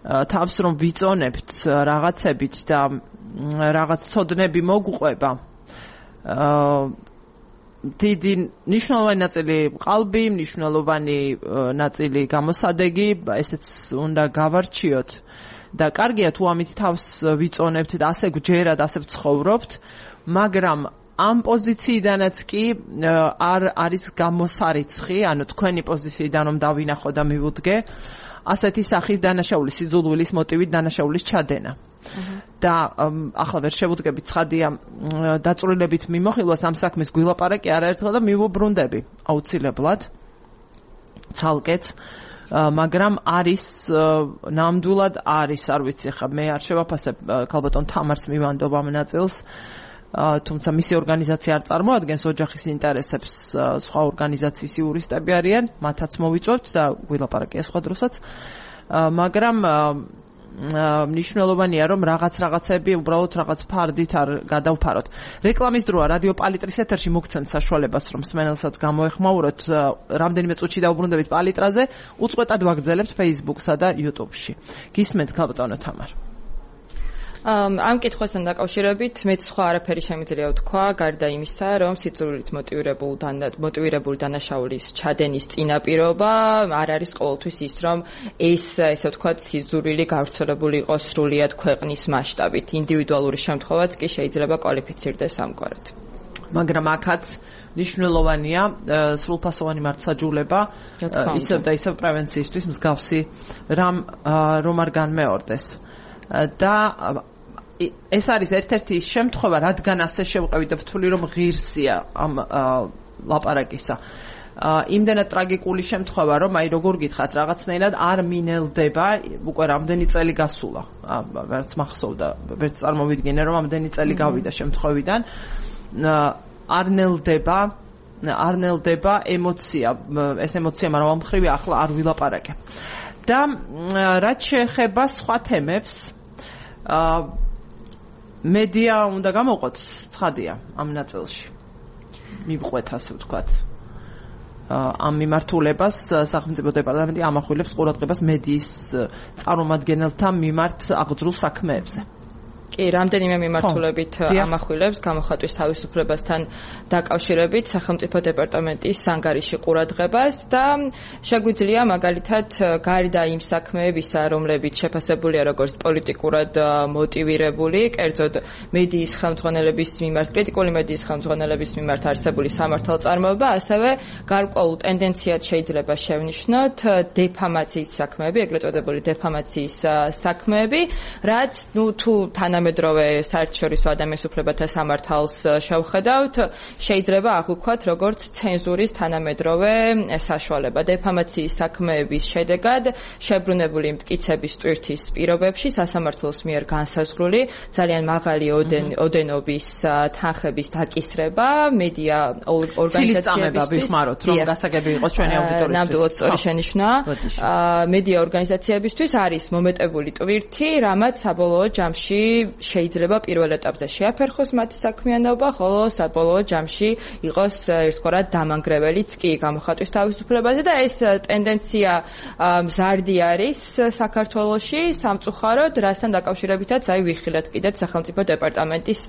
თავს რომ ვიწონებთ რაღაცებით და რაღაც ცოდნები მოგვყვება დიდი მნიშვნელოვანი ნაწილი ყალბი, მნიშვნელოვანი ნაწილი გამოსადეგი, ესეც უნდა გავარჩიოთ და კარგია თუ ამით თავს ვიწონებთ და ასე გვჯერად, ასე ვცხოვრობთ, მაგრამ ამ პოზიციიდანაც კი არ არის გამოსარიცხი, ანუ თქვენი პოზიციიდან რომ დავინახო და მივუდგე, ასეთი სახის დანაშაულის სიძულვილის მოტივით დანაშაულის ჩადენა. და ახლა ვერ შევუდგებით ცხადია დაწვრილებით მიმოხილვას ამ საქმის გვილაპარაკი არაერთხელ და მივუბრუნდები აუცილებლად ცალკეც მაგრამ არის ნამდვილად არის არ ვიცი ხა მე არ შევაფასებ ქალბატონ თამარს მივანდობ ამ ნაწილს თუმცა მისი ორგანიზაცია არ წარმოადგენს ოჯახის ინტერესებს სხვა ორგანიზაციის იურისტები არიან მათაც მოვიწვევთ და გვილაპარაკია სხვა დროსაც მაგრამ მნიშვნელოვანია რომ რაღაცები უბრალოდ რაღაც ფარდით არ გადავფაროთ. რეკლამის დროა რადიო პალიტრის ეთერში მოგცემთ საშუალებას რომ მსმენელსაც გამოეხმაუროთ რამდენიმე წუთში დაუბრუნდებით პალიტრაზე უწყვეტად ვაგრძელებთ Facebook-სა და YouTube-ში. გისმენთ ქალბატონო თამარ. ამ კითხვასთან დაკავშირებით მეც სხვა არაფერი შემიძლია ვთქვა, გარდა იმისა, რომ სიძულვილით მოტივირებული დანაშაულის ჩადენის წინაპირობა არ არის ყოველთვის ის, რომ ესე ვთქვათ, სიძულვილი გავრცელებული იყოს სრულიად ქვეყნის მასშტაბით. ინდივიდუალური შემთხვევაც კი შეიძლება კვალიფიცირდეს ამგვარად. მაგრამ აქაც მნიშვნელოვანია სრულფასოვანი მართლმსაჯულება ისევ და ისევ პრევენციისთვის მსგავსი რომ არ განმეორდეს. და ეს არის ერთ-ერთი შემთხვევა, რადგან ასე შევყევი და ვთვლი, რომ ღირსია ამ ლაპარაკისა. იმდენად ტრაგიკული შემთხვევა, რომ აი როგორ გითხრათ, რაღაცნაირად არ მინელდება, უკვე რამდენი წელი გასულა. ვერც მახსოვდა, ვერც წარმოვიდგინე, რომ ამდენი წელი გავიდა შემთხვევიდან. არ ნელდება ემოცია, ეს ემოცია, მაგრამ ამ მხრივ ახლა არ ვილაპარაკე. და რაც შეეხება სხვა თემებს მედია უნდა გამოვყოთ ცხადია ამ ნაწილში მივყვეთ ასე ვთქვათ ამ მიმართულებას სახელმწიფო დეპარტამენტი ამახვილებს ყურადღებას მედიის წარმომადგენელთა მიმართ აღძრულ საქმეებზე კი, რამდენიმე მიმართულებით ამახვილებს გამოხატვის თავისუფლებასთან დაკავშირებით სახელმწიფო დეპარტამენტის სანგარიში ყურადღებას და შეგვიძლია მაგალითად გარდა იმ საქმეებისა, რომლებიც შეფასებულია როგორც პოლიტიკურად მოტივირებული, კერძოდ მედიის ხელმძღვანელების მიმართ, კრიტიკული მედიის ხელმძღვანელების მიმართ არსებული სამართალწარმოება, ასევე გარკვეულ ტენდენციად შეიძლება შევნიშნოთ დეფამაციის საქმეები, ეგრეთ წოდებული დეფამაციის საქმეები, რაც თუ თანამედროვე საერთაშორისო ადამიანის უფლებათა სამართალს შევხედავთ, შეიძლება აღვქვათ როგორც ცენზურის თანამედროვე საშუალება. დეფამაციის საქმეების შედეგად შებრუნებული მტკიცების ტვირთის პირობებში სასამართლოს მიერ განსაზღვრული ძალიან მაღალი ოდენობის თანხების დაკისრება მედია ორგანიზაციებისთვის ვიხმაროთ, რომ გასაგები იყოს ჩვენი აუდიტორიისთვის. ნამდვილად სწორი შენიშვნა. მედია ორგანიზაციებისთვის არის მომეტებული ტვირთი, რამაც საბოლოო ჯამში შეიძლება პირველ ეტაპზე შეაფერხოს მათი საქმიანობა, ხოლო საბოლოო ჯამში იყოს ერთგვარად დამანგრეველიც კი გამოხატვის თავისუფლებაზე და ეს ტენდენცია მზარდი არის საქართველოში სამწუხაროდ, რასთან დაკავშირებითაც აი ვიხილეთ კიდეც სახელმწიფო დეპარტამენტის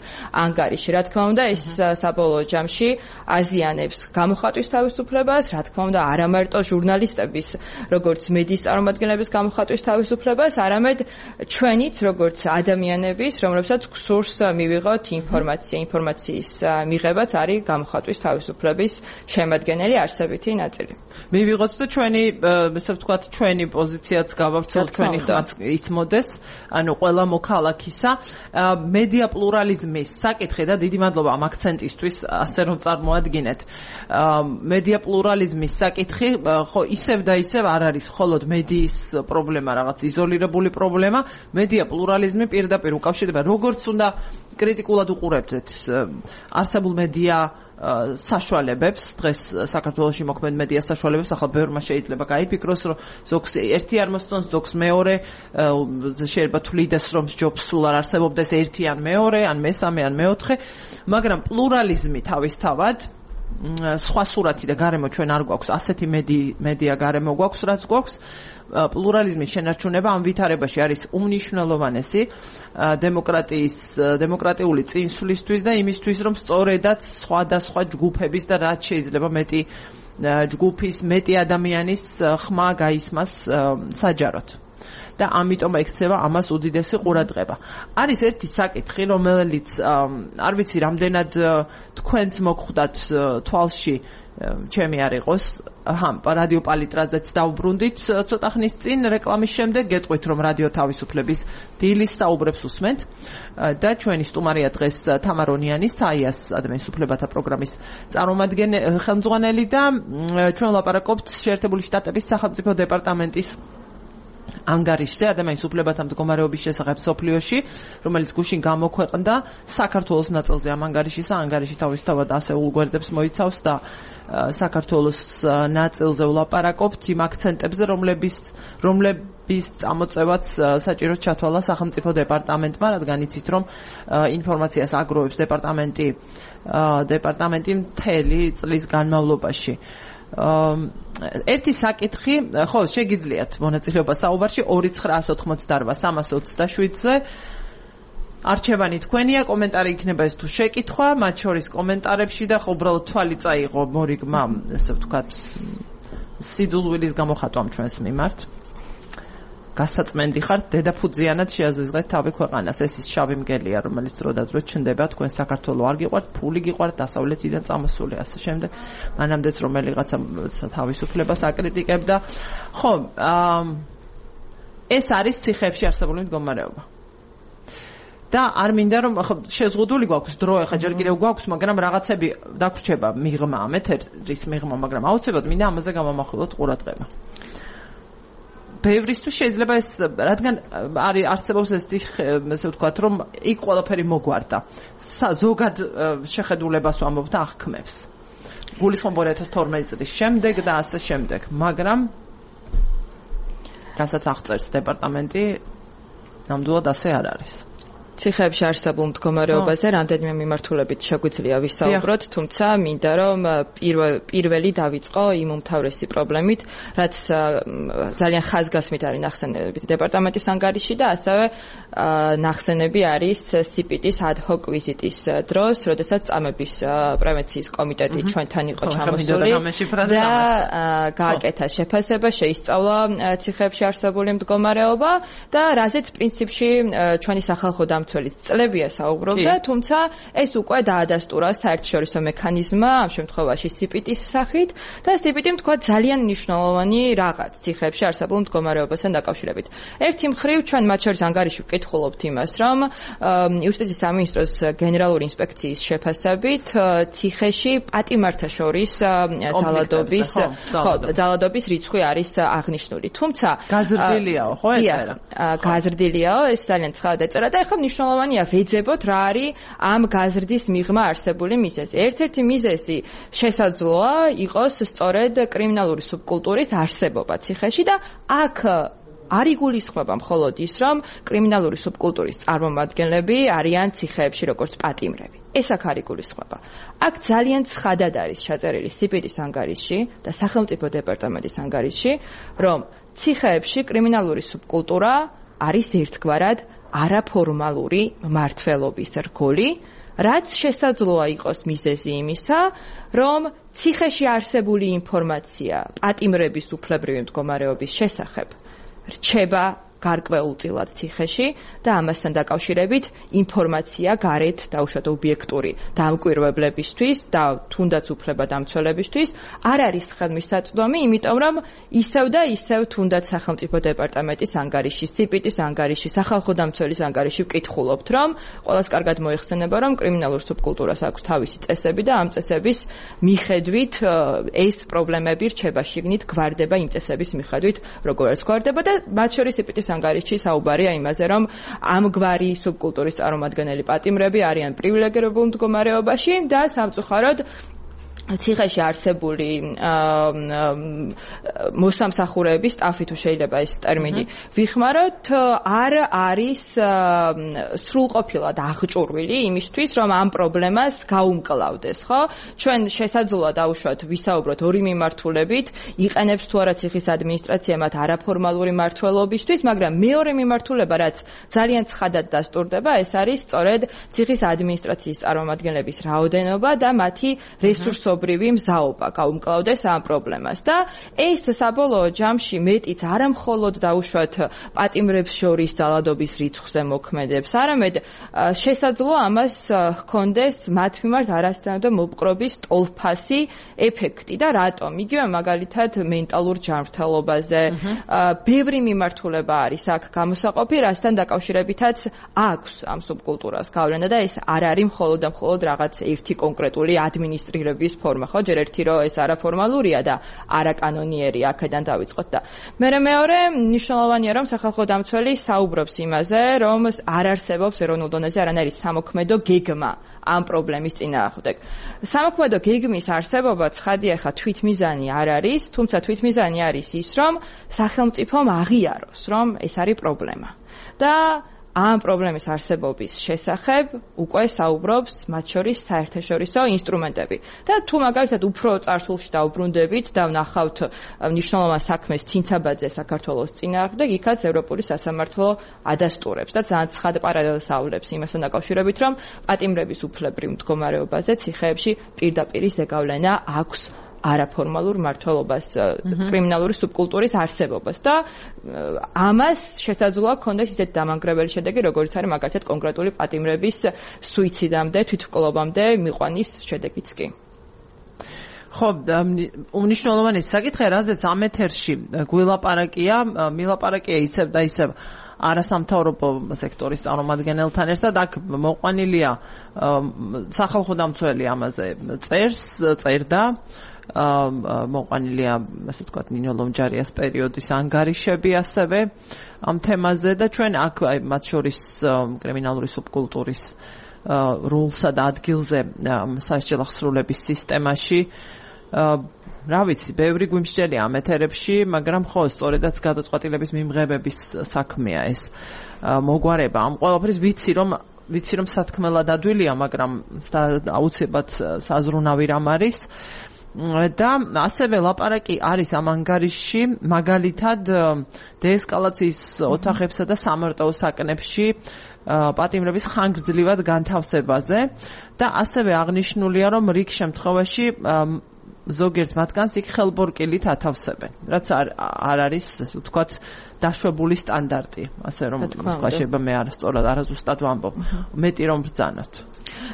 ანგარიში. რა თქმა უნდა, ეს საბოლოო ჯამში აზიანებს გამოხატვის თავისუფლებას, რა თქმა უნდა, არა მარტო ჟურნალისტების, როგორც მედიის წარმომადგენლების გამოხატვის თავისუფლებას, არამედ ჩვენიც, როგორც ადამიანების, რომლებსაც გსურს მივიღოთ ინფორმაციის მიღებაც არის გამოხატვის თავისუფლების შემადგენელი არსებითი ნაწილი. მივიღოთ და ჩვენი, ესე ვთქვათ, ჩვენი პოზიციაც გავავრცელოთ, ჩვენი ხმაც იცმოდეს, ანუ ყველა მოქალაქისა. მედია პლურალიზმის საკითხი და დიდი მადლობა ამ აქცენტისთვის, ასე რომ წარმოადგინეთ. მედია პლურალიზმის საკითხი, ხო, ისევ და ისევ არ არის მხოლოდ მედიის პრობლემა, რაღაც იზოლირებული პრობლემა, მედია პლურალიზმი პირდაპირ უკავშირდება როგორც უნდა კრიტიკულად უყურებთ არსებულ მედია საშუალებებს დღეს საქართველოში მოქმედ მედია საშუალებებს ახლა ბევრმა შეიძლება გაიფიქროს რომ ზოგს ერთი არ მოსწონს ზოგს მეორე შეიძლება თვლიდეს რომ ჯობს სულ არ არსებობდეს ერთი ან მეორე ან მესამე ან მეოთხე მაგრამ პლურალიზმი თავისთავად სხვა სურათი და გარემო ჩვენ არ გვაქვს, ასეთი მედია გარემო გვაქვს, რაც გვაქვს. პლურალიზმის შენარჩუნება ამ ვითარებაში არის უმნიშვნელოვანესი დემოკრატიული წინსვლისთვის და იმისთვის, რომ სწორედაც სხვადასხვა ჯგუფების და რაც შეიძლება მეტი ჯგუფის, მეტი ადამიანის ხმა გაისმას საჯაროდ. და ამიტომ ექცევა ამას უდიდესი ყურადღება. არის ერთი საკითხი, რომელიც არ ვიცი რამდენად თქვენც მოგხვდათ თვალში, ჩემი არ იყოს, რადიო პალიტრაზეც დავბრუნდით ცოტა ხნის წინ რეკლამის შემდეგ, გეტყვით რომ რადიო თავისუფლების დილის საუბრებს უსმენთ და ჩვენი სტუმარია დღეს თამარონიანი, საიას ადამიანის უფლებათა პროგრამის ხელმძღვანელი და ჩვენ ვლაპარაკობთ შეერთებული შტატების სახელმწიფო დეპარტამენტის ანგარიშზე ადამიანის უფლებათა მდგომარეობის შესახებ სოფლიოში, რომელიც გუშინ გამოქვეყნდა საქართველოს ნაწილზე ამ ანგარიშისა. ანგარიში თავისთავად ასეულ გვერდებს მოიცავს და საქართველოს ნაწილზე ვლაპარაკობთ იმ აქცენტებზე, რომლების წამოწევაც საჭიროდ ჩათვალა სახელმწიფო დეპარტამენტმა, რადგან იცით, რომ ინფორმაციას აგროვებს დეპარტამენტი მთელი წლის განმავლობაში. ერთი საკითხი, ხო, შეგიძლიათ მონაწილეობა საუბარში 2988327-ზე. არჩევანი თქვენია, კომენტარი იქნება ეს თუ შეკითხვა, მათ შორის კომენტარებში და ხო უბრალოდ თვალი წაიღო მორიგმა, ესე ვთქვათ, სიძულვილის გამოხატვამ ჩვენს მიმართ. გასაწმენდი ხართ, დედაფუძიანად შეაზრდეთ თავი ქვეყანას. ეს ის შავი მგელია, რომელიც დრო და დრო ჩნდება, თქვენ საქართველოს არ გიყვართ, ფული გიყვართ, დასავლეთიდან წამოსული, ასე შემდეგ. მანამდეც რომელიღაცა თავისუფლებას აკრიტიკებდა. ხო, ეს არის ციხეებში არსებული მდგომარეობა. და არ მინდა რომ შეზღუდული გვაქვს დრო, ახლა ჯერ კიდევ გვაქვს, მაგრამ რაღაცები დაგვრჩება მიღმა, ეთერის მიღმა, მაგრამ აუცილებლად მინდა ამაზე გამომახვილოთ ყურადღება. ბევრისთვის შეიძლება ეს, რადგან არსებობს ესე ვთქვათ, რომ იქ ყველაფერი მოგვარდა. ზოგად შეხედულებას ვამბობ და აღქმებს. გულისხმობ 2012 წლის შემდეგ და ასე შემდეგ, მაგრამ რასაც აღწერს დეპარტამენტი, ნამდვილად ასე არ არის. ციხეებში არსებულ მდგომარეობაზე რამდენიმე მიმართულებით შეგვიძლია ვისაუბროთ, თუმცა მინდა რომ პირველი დავიწყო იმ უმთავრესი პრობლემით, რაც ძალიან ხაზგასმით არის ნახსენები დეპარტამენტის ანგარიში და ასევე ნახსენები არის CPT-ის ad hoc ვიზიტის დროს, როდესაც წამების პრევენციის კომიტეტი ჩვენთან იყო ჩამოსული და გააკეთა შეფასება, შეისწავლა ციხეებში არსებული მდგომარეობა და რაზეც პრინციპში ჩვენი სახალხო მცველის წლებია საუბრობდა, თუმცა ეს უკვე დაადასტურა საერთაშორისო მექანიზმმა, ამ შემთხვევაში CPT-ის სახით და CPT-მ თქვა ძალიან მნიშვნელოვანი რაღაც ციხეებში არსებულ მდგომარეობასთან დაკავშირებით. ერთი მხრივ ჩვენ მათ შორის ანგარიში ვკითხულობთ იმას, რომ იუსტიციის სამინისტროს გენერალური ინსპექციის შეფასებით ციხეში პატიმართა შორის ძალადობის რიცხვი არის აღნიშნული. თუმცა გაზრდილიაო, ხო ეწერა? გაზრდილიაო, ეს ძალიან ცხადად ეწერა და ეხლა მნიშვნელოვანია ვეძებოთ რა არის ამ გაზრდის მიღმა არსებული მიზეზი. ერთ-ერთი მიზეზი შესაძლოა იყოს სწორედ კრიმინალური სუბკულტურის არსებობა ციხეში და აქ არ იგულისხმება მხოლოდ ის, რომ კრიმინალური სუბკულტურის წარმომადგენლები არიან ციხეებში როგორც პატიმრები. ეს აქ არ იგულისხმება. აქ ძალიან ცხადად არის ჩაწერილი CPT-ის ანგარიში და სახელმწიფო დეპარტამენტის ანგარიში, რომ ციხეებში კრიმინალური სუბკულტურა არის ერთგვარად არაფორმალური მმართველობის რგოლი, რაც შესაძლოა იყოს მიზეზი იმისა, რომ ციხეში არსებული ინფორმაცია პატიმრების უფლებრივი მდგომარეობის შესახებ რჩება გარკვეულწილად ციხეში და ამასთან დაკავშირებით ინფორმაცია გარეთ დაუშვათ ობიექტური დამკვირვებლებისთვის და თუნდაც უფლებადამცველებისთვის არ არის ხელმისაწვდომი, იმიტომ რომ ისევ და ისევ თუნდაც სახელმწიფო დეპარტამენტის ანგარიში, CPT-ის ანგარიში, სახალხო დამცველის ანგარიში ვკითხულობთ, რომ ყველას კარგად მოიხსენება, რომ კრიმინალურ სუბკულტურას აქვს თავისი წესები და ამ წესების მიხედვით ეს პრობლემები რჩება შიგნით, გვარდება იმ წესების მიხედვით, როგორაც გვარდება და მათ შორის CPT-ის ანგარიში საუბარია იმაზე, რომ ამგვარი სუბკულტურის წარმომადგენელი პატიმრები არიან პრივილეგირებულ მდგომარეობაში და სამწუხაროდ ციხეში არსებული მოსამსახურეების სტაფი თუ შეიძლება ეს ტერმინი ვიხმაროთ, არ არის სრულყოფილად აღჭურვილი იმისთვის, რომ ამ პრობლემას გაუმკლავდეს, ხო? ჩვენ შესაძლოა დავუშვათ ვისაუბროთ ორი მიმართულებით, იყენებს თუ არა ციხის ადმინისტრაცია მათ არაფორმალური მმართველობისთვის, მაგრამ მეორე მიმართულება, რაც ძალიან ცხადად დასტურდება, ეს არის სწორედ ციხის ადმინისტრაციის წარმომადგენლების რაოდენობა და მათი რესურსობრივი მზაობა გაუმკლავდეს ამ პრობლემას. და ეს საბოლოო ჯამში მეტიც არა მხოლოდ დაუშვათ პატიმრებს შორის ძალადობის რიცხვზე მოქმედებს, არამედ შესაძლოა ამას ჰქონდეს მათ მიმართ არასდროინდ მოპყრობის ტოლფასი ეფექტი და რატომ? იგივე მაგალითად მენტალურ ჯანმრთელობაზე ბევრი მიმართულება არის აქ გამოსაყოფი, რასთან დაკავშირებითაც აქვს ამ სუბკულტურას გავლენა და ეს არ არის მხოლოდ და მხოლოდ რაღაც ერთი კონკრეტული ადმინისტრირების ფორმა, ხო? ჯერ ერთი რომ ეს არაფორმალურია და არაკანონიერი აქედან დავიწყოთ და მეორე მნიშვნელოვანია რომ სახალხო დამცველი საუბრობს იმაზე, რომ არ არსებობს ეროვნულ დონეზე არანაირი სამოქმედო გეგმა ამ პრობლემის წინააღმდეგ. სამოქმედო გეგმის არსებობა ცხადია, ხა თვითმიზანი არ არის, თუმცა თვითმიზანი არის ის, რომ სახელმწიფომ აღიაროს, რომ ეს არის პრობლემა. და ამ პრობლემის არსებობის შესახებ უკვე საუბრობს მათ შორის საერთაშორისო ინსტრუმენტები. და თუ მაგალითად უფრო წარსულში დავბრუნდებით და ვნახავთ მნიშვნელოვან საქმეს ცინცაბაძე საქართველოს წინააღმდეგ, იქაც ევროპული სასამართლო ადასტურებს და ძალიან ცხად პარალელს აავლებს იმასთან დაკავშირებით, რომ პატიმრების უფლებრივ მდგომარეობაზე ციხეებში პირდაპირ ზეგავლენა აქვს არაფორმალურ მმართველობას, კრიმინალური სუბკულტურის არსებობას და ამას შესაძლოა ჰქონდეს ისეთ დამანგრებელი შედეგი, როგორც არის მაგალითად კონკრეტული პატიმრების სუიციდამდე, თვითმკვლობამდე მიყვანის შედეგიც კი. ხო, უნიშნულოვანი საკითხი, რაზეც ამ ეთერში გვილაპარაკია, მილაპარაკია ისევ და ისევ არასამთავრობო სექტორის წარმომადგენელთან ერთად, აქ მოყვანილია სახალხო დამცველი ამაზე წერდა, მოყვანილია, ასე ვთქვათ, ნინო ლომჯარიას პერიოდის ანგარიშები ასევე ამ თემაზე და ჩვენ აქ მათ შორის კრიმინალური სუბკულტურის როლსა და ადგილზე სასჯელ აღსრულების სისტემაში რა ვიცი, ბევრი გვიმსჯელია ამ ეთერებში, მაგრამ ხო, სწორედაც გადაწყვეტილების მიმღებების საქმეა ეს მოგვარება. ამ ყველაფრის ვიცი რომ სათქმელად ადვილია, მაგრამ აუცილებლად საზრუნავი რამ არის. და ასევე ლაპარაკი არის ამ ანგარიშში მაგალითად დეესკალაციის ოთახებსა და სამარტოო საკნებში პატიმრების ხანგრძლივად განთავსებაზე და ასევე აღნიშნულია, რომ რიგ შემთხვევაში ზოგიერთ მათგანს იქ ხელბორკილით ათავსებენ, რაც არ არის, ასე ვთქვათ, დაშვებული სტანდარტი, ასე რომ თქვა შეიძლება მე არაზუსტად ვამბობ, მეტი რომ ბრძანოთ.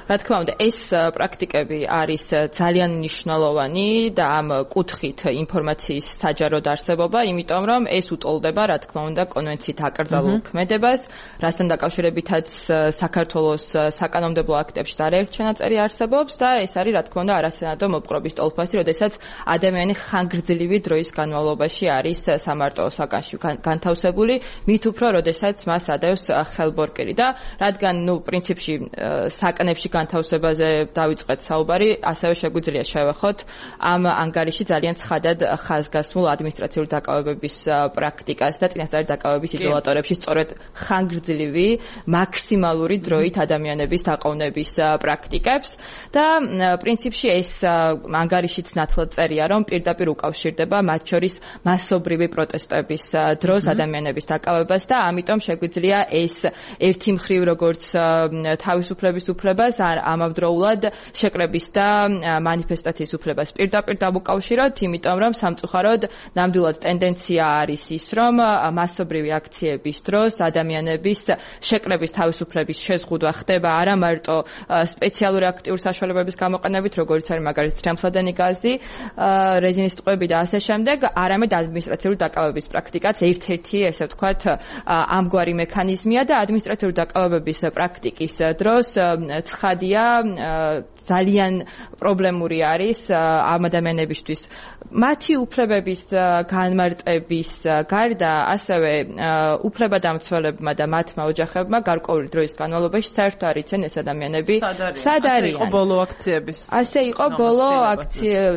რა თქმა უნდა, ეს პრაქტიკები არის ძალიან მნიშვნელოვანი და ამ კუთხით ინფორმაციის საჯაროდ არსებობა, იმიტომ რომ ეს უტოლდება, რა თქმა უნდა, კონვენციით აკრძალულ ქმედებას, რასთან დაკავშირებითაც საქართველოს საკანონმდებლო აქტებში და არაერთ ჩანაწერი არსებობს და ეს არის, რა თქმა უნდა, არასანადო მოპყრობის ტოლფასი, როდესაც ადამიანი ხანგრძლივი დროის განმავლობაში არის სამარტოო საკანში განთავსებული, მით უფრო, როდესაც მას ადევს ხელბორკილი და რადგან, პრინციპში საკანებში განთავსებაზე დავიწყეთ საუბარი, ასევე შეგვიძლია შევეხოთ ამ ანგარიში ძალიან ცხადად ხაზგასმულ ადმინისტრაციული დაკავებების პრაქტიკას და წინასწარი დაკავების იზოლატორებში სწორედ ხანგრძლივი მაქსიმალური დროით ადამიანების დაყოვნების პრაქტიკებს და პრინციპში ეს ანგარიშიც ნათლად წერია, რომ პირდაპირ უკავშირდება მათ შორის მასობრივი პროტესტების დროს ადამიანების დაკავებას და ამიტომ შეგვიძლია ეს ერთი მხრივ როგორც თავისუფლების უფლებას არ ამავდროულად შეკრების და მანიფესტაციის უფლებას პირდაპირ დამოკავშიროთ, იმიტომ რომ სამწუხაროდ ნამდვილად ტენდენცია არის ის, რომ მასობრივი აქციების დროს ადამიანების შეკრების თავისუფლების შეზღუდვა ხდება არა მარტო სპეციალური აქტიური საშუალებების გამოყენებით, როგორც არის მაგალითად თრემსადენი გაზი, რეზინის ტყვეები და ასე შემდეგ, არამედ ადმინისტრაციული დაკავების პრაქტიკაც ერთ-ერთი, ესე ვთქვათ, ამგვარი მექანიზმია და ადმინისტრაციული დაკავების პრაქტიკის დროს ცხადია, ძალიან პრობლემური არის ამ ადამიანებისთვის მათი უფლებების განმარტების გარდა, ასევე უფლებადამცველებმა და მათმა ოჯახებმა გარკვეული დროის განმავლობაში საერთოდ არ იციან ეს ადამიანები სად არიან. იყო ბოლო აქციების. ასე იყო ბოლო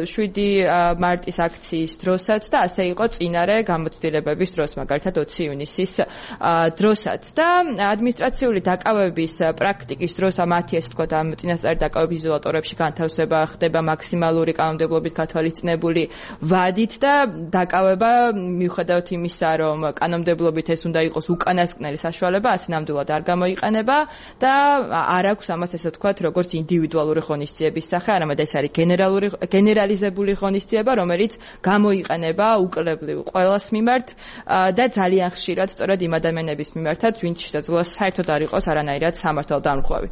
7 მარტის აქციის დროსაც და ასე იყო წინარე გამოცდილებების დროს, მაგალითად 20 ივნისის დროსაც და ადმინისტრაციული დაკავების პრაქტიკის დროს მათი ესე ვთქვათ ამ წინასწარი დაკავების იზოლატორებში განთავსება ხდება მაქსიმალური კანონმდებლობით გათვალისწინებული ვადით და დაკავება მიუხედავად იმისა, რომ კანონმდებლობით ეს უნდა იყოს უკანასკნელი საშუალება, ასე ნამდვილად არ გამოიყენება და არ აქვს ამას ესე ვთქვათ როგორც ინდივიდუალური ღონისძიების სახე, არამედ ეს არის გენერალიზებული ღონისძიება, რომელიც გამოიყენება უკლებლივ ყველას მიმართ და ძალიან ხშირად სწორედ იმ ადამიანების მიმართაც, ვინც შესაძლოა საერთოდ არ იყოს არანაირად სამართალდამხვევი.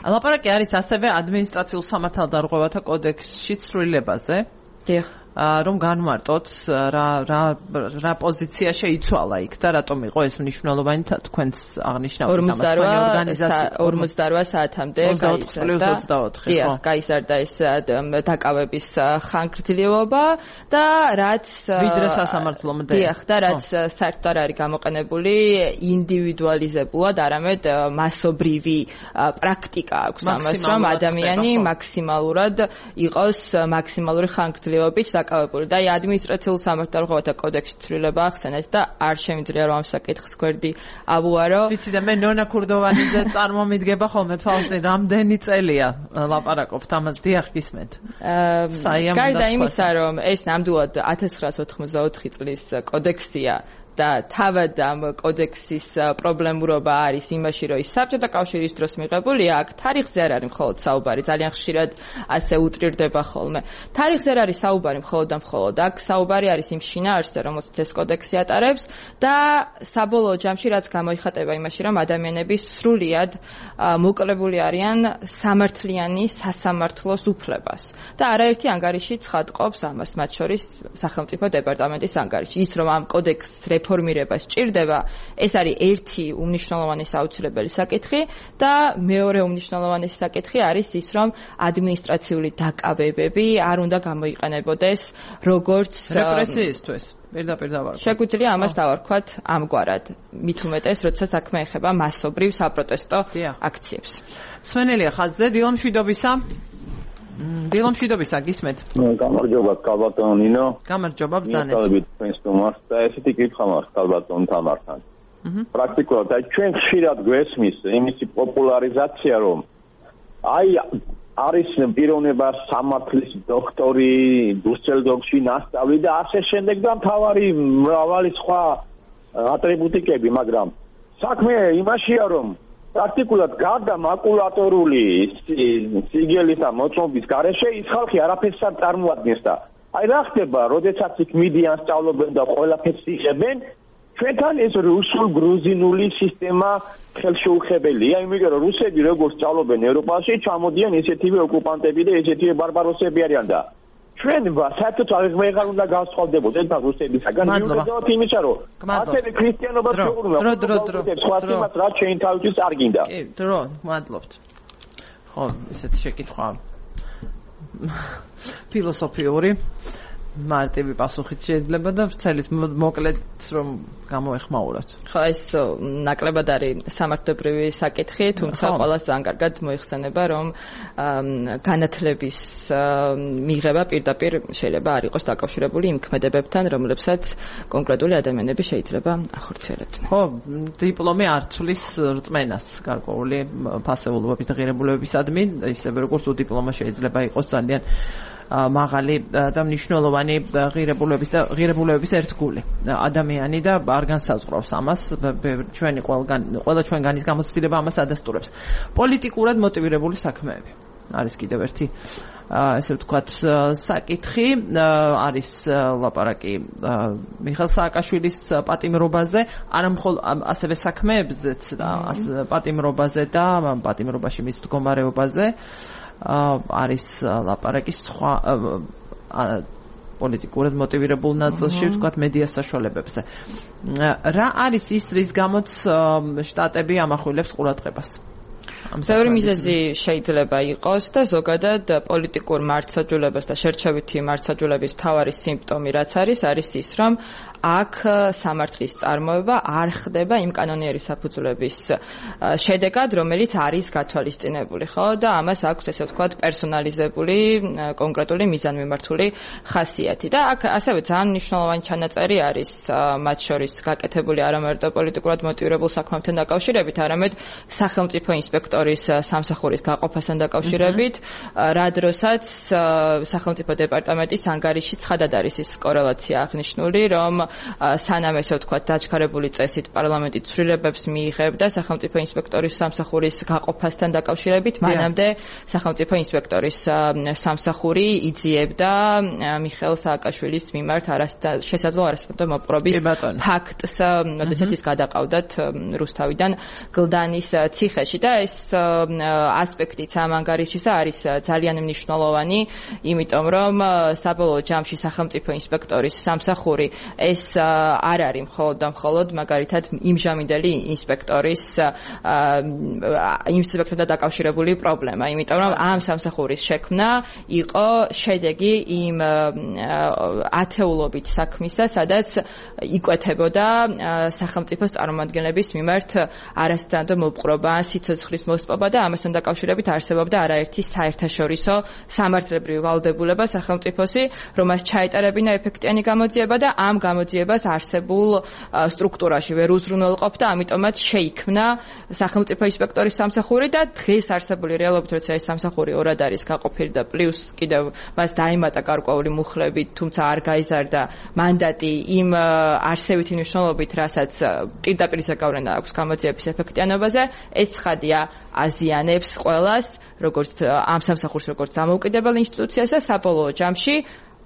ლაპარაკი არის ასევე ადმინისტრაციულ სამართალდამხვევათა კოდექსში ცვლილებაზე. დიახ. რომ განვარტოთ რა პოზიცია შეიცვალა იქ და რატომ იყო ეს მნიშვნელოვანი თქვენს აღნიშნავთ 48 საათამდე გაიზარდა ეს დაკავების ხანგრძლივობა და რაც ვიდრე სასამართლომდე დიახ და რაც საერთოდ არ არის გამოყენებული ინდივიდუალიზებულად, არამედ მასობრივი პრაქტიკა აქვს ამას, რომ ადამიანი მაქსიმალურად იყოს მაქსიმალური ხანგრძლივობით და ადმინისტრაციულ სამართალდამხვევათა კოდექსში ცვლილება ახსენეთ და არ შემიძლია რომ ამ საკითხს გვერდი აბუარო. ვიცი და მე ნონა ქურდოვანიძე წარმომიდგება ხოლმე თვალწინ რამდენი წელია ლაპარაკობთ ამას, დიახ გისმენთ. გარდა იმისა, რომ ეს ნამდვილად 1984 წლის კოდექსია და თავად ამ კოდექსის პრობლემურობა არის იმაში, რომ ის საბჭოთა კავშირის დროს მიღებულია, აქ თარიღზე არ არის მხოლოდ საუბარი, ძალიან ხშირად ასე უტრირდება ხოლმე. თარიღზე არ არის საუბარი მხოლოდ და მხოლოდ, აქ საუბარი არის იმ შინაარსზე, რომელსაც ეს კოდექსი ატარებს და საბოლოო ჯამში რაც გამოიხატება იმაში, რომ ადამიანები სრულიად მოკლებული არიან სამართლიანი სასამართლოს უფლებას. და არაერთი ანგარიში ცხადყოფს ამას, მათ შორის სახელმწიფო დეპარტამენტის ანგარიში. ის რომ ამ კოდექსს რეფორმირება სჭირდება, ეს არის ერთი უმნიშვნელოვანესი აუცილებელი საკითხი და მეორე უმნიშვნელოვანესი საკითხი არის ის, რომ ადმინისტრაციული დაკავებები არ უნდა გამოიყენებოდეს როგორც რეპრესიისთვის. პირდაპირ დავარქვათ. შეგვიძლია ამას დავარქვათ ამგვარად, მით უმეტეს, როცა საქმე ეხება მასობრივ საპროტესტო აქციებს. სვენელია ხაზზე, დილამშვიდობისა. დილამშვიდობისა, გისმენთ? გამარჯობა, კალბატონ ნინო. გამარჯობა, ბრძანეთ. მოგესალმებით თქვენს თომას და ესეთი კითხვა მაქვს კალბატონ თამართან. პრაქტიკულად აი ჩვენ ხშირად გვესმის იმისი პოპულარიზაცია, რომ აი არის პიროვნება სამართლის დოქტორი დუსელდორფში ნასწავლი და ასე შემდეგ და მთავარი მრავალი სხვა ატრიბუტიკები, მაგრამ საქმე იმაშია, რომ პრაქტიკულად გარდა მაკულატორული სიგელის და მოწმობის გარეშე ის ხალხი არაფერს არ წარმოადგენს და აი რა ხდება, როდესაც იქ მიდიან სწავლობენ და ყველაფერს იღებენ, ჩვენთან ეს რუსულ-გრუზინული სისტემა ხელშეუხებელია, იმიტომ რომ რუსები როგორც სწავლობენ ევროპაში, ჩამოდიან ესეთივე ოკუპანტები და ესეთივე ბარბაროსები არიან და ჩვენ საერთოდ აღარ უნდა გავსწავლდებოდ ეს რუსებისაგან, მიუხედავად იმისა, რომ ასევე ქრისტიანობა სხვა რაც ჩვენ თავისთვის არ გინდა. კი, დრო, მადლობთ. ხო, ესეთი შეკითხვა ფილოსოფიური მარტივი პასუხით შეიძლება და ვრცელით მოკლედ რომ გამოეხმაუროთ. ხო, ეს ნაკლებად არის სამართლებრივი საკითხი, თუმცა ყველას ძალიან კარგად მოიხსენება, რომ განათლების მიღება პირდაპირ შეიძლება არ იყოს დაკავშირებული იმ ქმედებებთან, რომლებსაც კონკრეტული ადამიანები შეიძლება ახორციელებდნენ. ხო, დიპლომი არ ცვლის რწმენას გარკვეული ფასეულობებით ღირებულებებისადმი, ისევე როგორც დიპლომა შეიძლება იყოს ძალიან მაღალი და მნიშვნელოვანი ღირებულებების ერთგული ადამიანი და არ განსაზღვრავს ამას, ყველა ჩვენგანის გამოცდილება ამას ადასტურებს. პოლიტიკურად მოტივირებული საქმეები არის კიდევ ერთი ესე ვთქვათ საკითხი, არის ლაპარაკი მიხეილ სააკაშვილის პატიმრობაზე, არამხოლოდ ასევე საქმეებზეც პატიმრობაზე და პატიმრობაში მის მდგომარეობაზე არის ლაპარაკი სხვა პოლიტიკურად მოტივირებულ ნაწილში, ვთქვათ, მედია საშუალებებზე. რა არის ის, რის გამოც შტატები ამახვილებს ყურადღებას? ბევრი მიზეზი შეიძლება იყოს და ზოგადად პოლიტიკურ მართლმსაჯულებას და შერჩევითი მართლმსაჯულების მთავარი სიმპტომი რაც არის ის, რომ აქ სამართლის წარმოება არ ხდება იმ კანონიერი საფუძვლების შედეგად, რომელიც არის გათვალისწინებული, ხო? და ამას აქვს ესე ვთქვათ პერსონალიზებული, კონკრეტული მიზანმიმართული ხასიათი. და აქ ასევე ძალიან მნიშვნელოვანი ჩანაწერი არის მათ შორის გაკეთებული არა მარტო პოლიტიკურად მოტივირებულ საქმებთან დაკავშირებით, არამედ სახელმწიფო ინსპექტორის სამსახურის გაყოფასთან დაკავშირებით, რა დროსაც სახელმწიფო დეპარტამენტის ანგარიში ცხადად არის ის კორელაცია აღნიშნული, რომ სანამ ესე ვთქვათ დაჩქარებული წესით პარლამენტი ცვლილებებს მიიღებდა სახელმწიფო ინსპექტორის სამსახურის გაყოფასთან დაკავშირებით, მანამდე სახელმწიფო ინსპექტორის სამსახური იძიებდა მიხეილ სააკაშვილის მიმართ შესაძლო არასწორად მოპყრობის ფაქტს, როდესაც ის გადაყავდათ რუსთავიდან გლდანის ციხეში და ეს ასპექტიც ამ ანგარიშისა არის ძალიან მნიშვნელოვანი, იმიტომ რომ საბოლოო ჯამში სახელმწიფო ინსპექტორის სამსახური ეს არ არის მხოლოდ და მხოლოდ მაგალითად იმჟამინდელი ინსპექტორთან დაკავშირებული პრობლემა, იმიტომ რომ ამ სამსახურის შექმნა იყო შედეგი იმ ათეულობით საქმისა, სადაც იკვეთებოდა სახელმწიფოს წარმომადგენლების მიმართ არასტანდო მოპყრობა, სიცოცხლის მოსპობა და ამასთან დაკავშირებით არსებობდა არაერთი საერთაშორისო სამართლებრივი ვალდებულება სახელმწიფოსი, რომელს ჩაეტარებინა ეფექტიანი გამოძიება და ამ გამოძიებას არსებულ სტრუქტურაში ვერ უზრუნველყოფდა, ამიტომაც შეიქმნა სახელმწიფო ინსპექტორის სამსახური და დღეს არსებული რეალობით, როცა ეს სამსახური ორად არის გაყოფილი და პლუს კიდევ მას დაემატა გარკვეული მუხლები, თუმცა არ გაიზარდა მანდატი იმ არსებითი მნიშვნელობით, რასაც პირდაპირ ზეგავლენა აქვს გამოძიების ეფექტიანობაზე, ეს ცხადია აზიანებს ყველას, როგორც ამ სამსახურს, როგორც დამოუკიდებელ ინსტიტუციას და საბოლოო ჯამში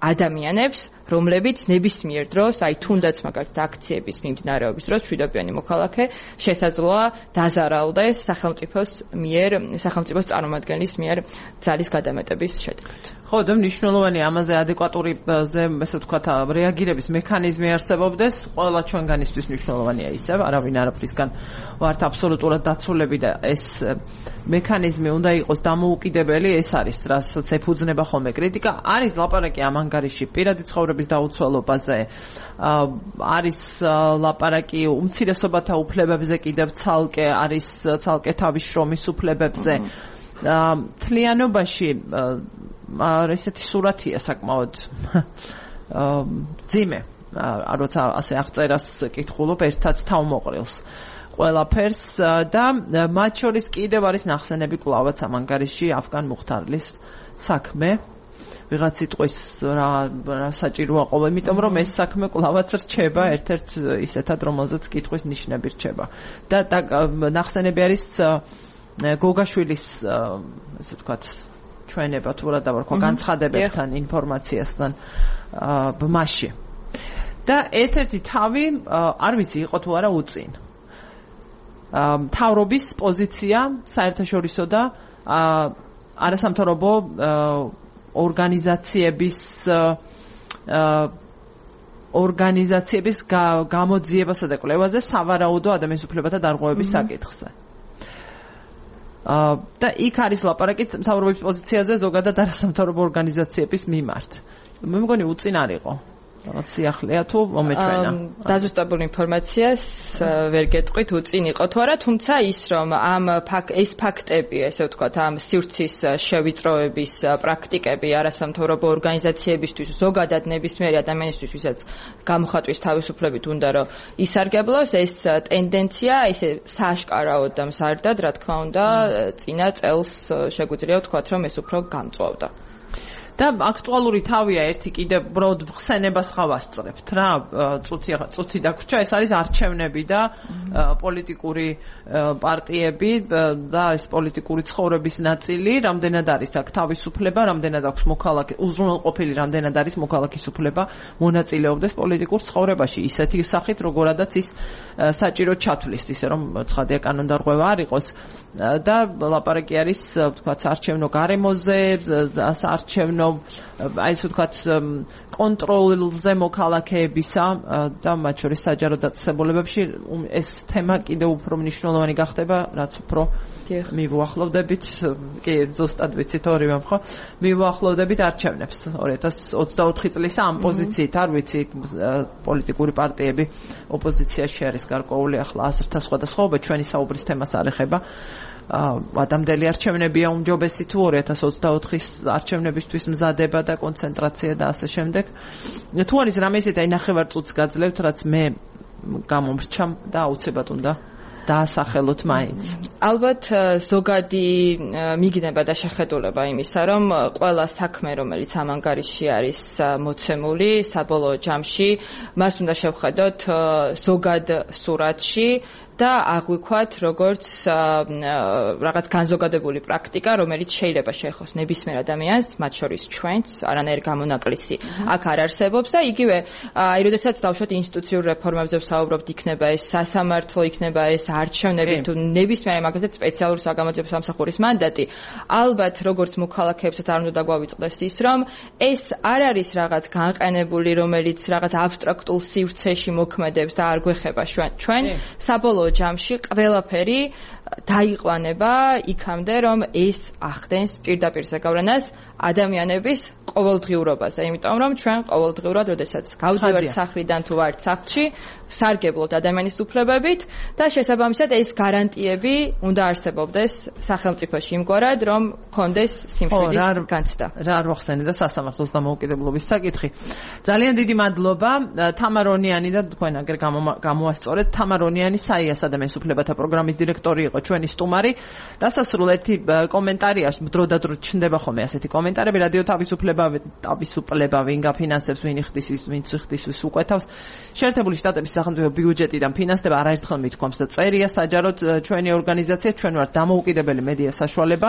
ადამიანებს, რომლებიც ნებისმიერ დროს, აი თუნდაც მაგალითად აქციების მიმდინარეობის დროს მშვიდობიანი მოქალაქე შესაძლოა დაზარალდეს სახელმწიფოს წარმომადგენლის მიერ ძალის გადამეტების შედეგად. ხო, და მნიშვნელოვანი ამაზე ადეკვატური ესე ვთქვათ რეაგირების მექანიზმი არსებობდეს, ყველა ჩვენგანისთვის მნიშვნელოვანია ისევ, არავინ არაფრისგან ვართ აბსოლუტურად დაცულები და ეს მექანიზმი უნდა იყოს დამოუკიდებელი, ეს არის რასაც ეფუძნება ხოლმე კრიტიკა, არის ლაპარაკი ამ ანგარიში პირადი ცხოვრების დაუცველობაზე, არის ლაპარაკი უმცირესობათა უფლებებზე კიდევ ცალკე, არის ცალკე თავის შრომის უფლებებზე. თლიანობაში ესეთი სურათია საკმაოდ ძიმე, როცა ასე აღწერას კითხულობ ერთად თავმოყრილს ყველაფერს და მათ შორის კიდევ არის ნახსენები კვლავაც ამ ანგარიში ავგან მუხთარლის საქმე. ვიღაც იტყვის რა საჭიროა ყოველ, იმიტომ რომ ეს საქმე კვლავაც რჩება ერთ-ერთ ისეთად, რომელზეც კითხვის ნიშნები რჩება. და ნახსენები არის გოგაშვილის ესე ვთქვათ ჩვენება თუ რა დავარქვა განცხადებებთან, ინფორმაციასთან ბმაში. და ერთ-ერთი თავი არ ვიცი იყო თუ არა უწინ. მთავრობის პოზიცია საერთაშორისო და არასამთავრობო ორგანიზაციების გამოძიებასა და კვლევაზე სავარაუდო ადამიანის უფლებათა დარღვევების საკითხზე. და იქ არის ლაპარაკი მთავრობის პოზიციაზე ზოგადად არასამთავრობო ორგანიზაციების მიმართ. მე მგონი უწინ არ იყო. რაღაც სიახლეა თუ მომეჩვენა. დაზუსტებული ინფორმაციას ვერ გეტყვით უწინ იყო თუ არა, თუმცა ის რომ ეს ფაქტები, ესე ვთქვათ, ამ სივრცის შევიწროების პრაქტიკები არასამთავრობო ორგანიზაციებისთვის, ზოგადად ნებისმიერი ადამიანისთვის, ვისაც გამოხატვის თავისუფლებით უნდა რომ ისარგებლოს, ეს ტენდენცია ისე სააშკარაოდ და მზარდად, რა თქმა უნდა, წინა წელს შეგვიძლია ვთქვათ, რომ ეს უფრო გამწვავდა. და აქტუალური თავია ერთი კიდევ ბროდ ხსენებას ხავასწრებთ რა წუთი დაგვრჩა ეს არის არჩევნები და პოლიტიკური პარტიები და ეს პოლიტიკური ცხოვრების ნაწილი რამდენად არის აქ თავისუფლება რამდენად აქვს მოქალაქე უზრუნველყოფილი რამდენად არის მოქალაქის უფლება მონაწილეობდეს პოლიტიკურ ცხოვრებაში ისეთი სახით როგორადაც ის საჭირო ჩათვლის ისე რომ ცხადია კანონდარღვევა არ იყოს და ლაპარაკი არის თქვა საარჩევნო გარემოზე საარჩევნო აი ასე ვთქვათ კონტროლზე მოქალაქეებისა და მათ შორის საჯარო დაწესებულებებში ეს თემა კიდევ უფრო მნიშვნელოვანი გახდება, რაც უფრო მივუახლოვდებით, კი ზუსტად ვიცით ორივემ ხო? მივუახლოვდებით არჩევნებს 2024 წლის ამ პოზიციით, არ ვიცი, პოლიტიკური პარტიები ოპოზიციაში არის გარკვეული ახლა აზრთა სხვადასხვაობა, ჩვენი საუბრის თემას არ ეხება. ადამიანელი არჩევნებია უმჯობესი თუ 2024-ის არჩევნებისთვის მზადება და კონცენტრაცია და ასე შემდეგ. თუ არის რამე ისეთი, აი ნახევარ წუთს გაძლევთ, რაც მე გამომრჩა და აუცილებლად უნდა დაასახელოთ მაინც. ალბათ ზოგადი მიგნება და შეხედულება იმისა, რომ ყველა საქმე, რომელიც ამ ანგარიში არის მოცემული, საბოლოო ჯამში, მას უნდა შევხედოთ ზოგად სურათში და აღვიქვათ როგორც რაღაც განზოგადებული პრაქტიკა, რომელიც შეიძლება შეეხოს ნებისმიერ ადამიანს, მათ შორის ჩვენც, არანაირ გამონაკლისი აქ არ არსებობს და იგივე, აი, როდესაც დავუშვათ ინსტიტუციურ რეფორმებზე ვსაუბრობთ, იქნება ეს სასამართლო, იქნება ეს არჩევნები, თუ ნებისმიერ მაგალითად სპეციალურ საგამოძიებო სამსახურის მანდატი, ალბათ როგორც მოქალაქეებსაც არ უნდა დაგვავიწყდეს ის, რომ ეს არ არის რაღაც განყენებული, რომელიც რაღაც აბსტრაქტულ სივრცეში მოქმედებს და არ გვეხება ჩვენ საბოლოო ჯამში ყველაფერი დაიყვანება იქამდე, რომ ეს ახდენს პირდაპირ ზეგავლენას ადამიანების ყოველდღიურობაზე, იმიტომ რომ ჩვენ ყოველდღიურად, როდესაც გავდივართ სახლიდან თუ ვართ სახლში, სარგებლობთ ადამიანის უფლებებით და შესაბამისად ეს გარანტიები უნდა არსებობდეს სახელმწიფოში იმგვარად, რომ გქონდეს სიმშვიდის განცდა. რა არ მოხსენე და სასამართლოს დამოუკიდებლობის საკითხი. ძალიან დიდი მადლობა თამარონიანი და თქვენ აგერ გამოასწორეთ. თამარონიანი საიას ადამიანის უფლებათა პროგრამის დირექტორი იყო ჩვენი სტუმარი. დასასრულეთი კომენტარია, დრო და დრო ჩნდება ხოლმე ასეთი კომენტარები, რადიო თავისუფლება ვინ გაფინანსებს, ვინ იხდის ის, ვინ ციხდის ის უყვეთავს. შეერთებული შტატების სახელმწიფო ბიუჯეტიდან ფინანსდება, არაერთხელ მithქვამს და წერია საჯაროდ ჩვენი ორგანიზაცია, ჩვენ ვართ დამოუკიდებელი მედია საშუალება.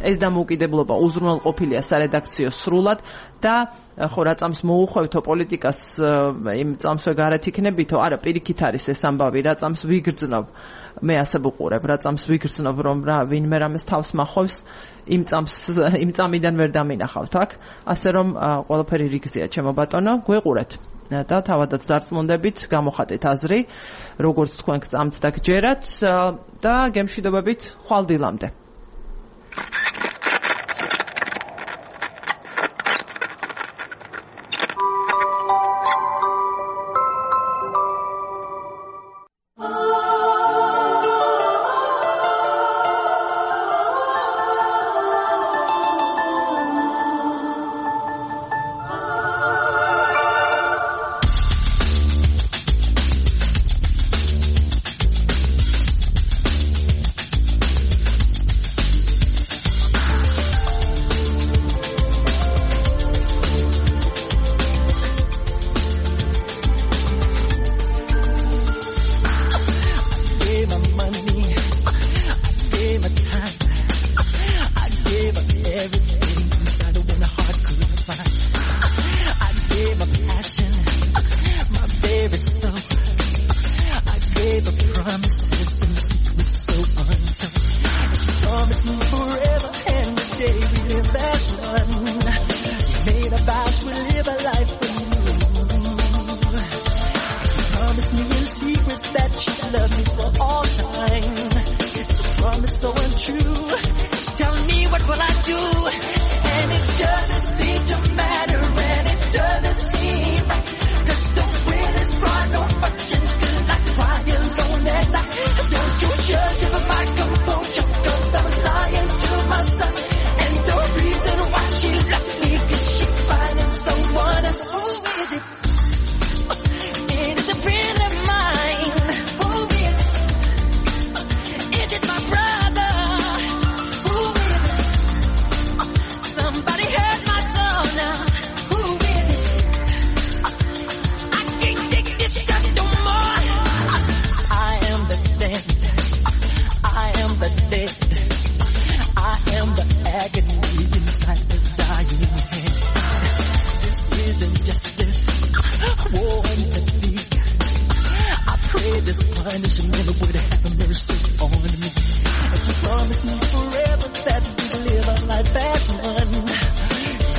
ეს დამოუკიდებლობა უზრუნველყოფილია სარედაქციო სრულად და ხო რა წამს მოუხვევთო პოლიტიკას იმ წამსვე გარეთ იქნებითო, არა პირიქით არის ეს ამბავი, რა წამს ვიგრძნობ, მე ასე ვუყურებ, რა წამს ვიგრძნობ, რომ რა ვინმე რამეს თავს მახავს, იმ წამიდან ვერ დამინახავთ აქ, ასე რომ ყველაფერი რიგზეა, ჩემო ბატონო, გვეყურეთ და თავადაც დარწმუნდებით, გამოხატეთ აზრი, როგორც თქვენ გწამთ და გჯერათ და გემშვიდობებით ხვალ დილამდე.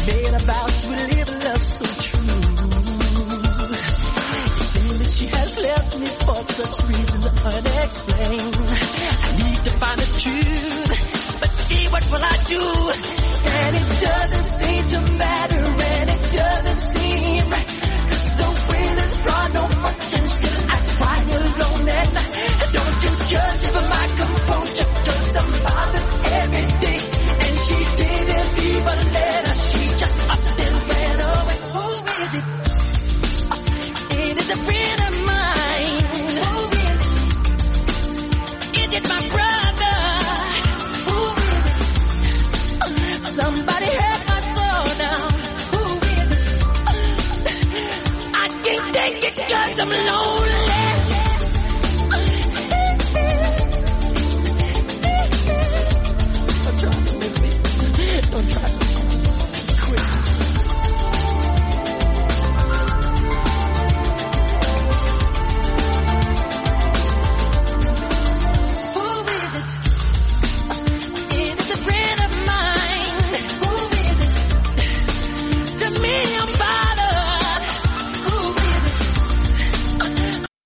made a vow to live a love so true. It seems that she has left me for such reasons unexplained. I need to find the truth, but see what will I do? And it doesn't seem to matter.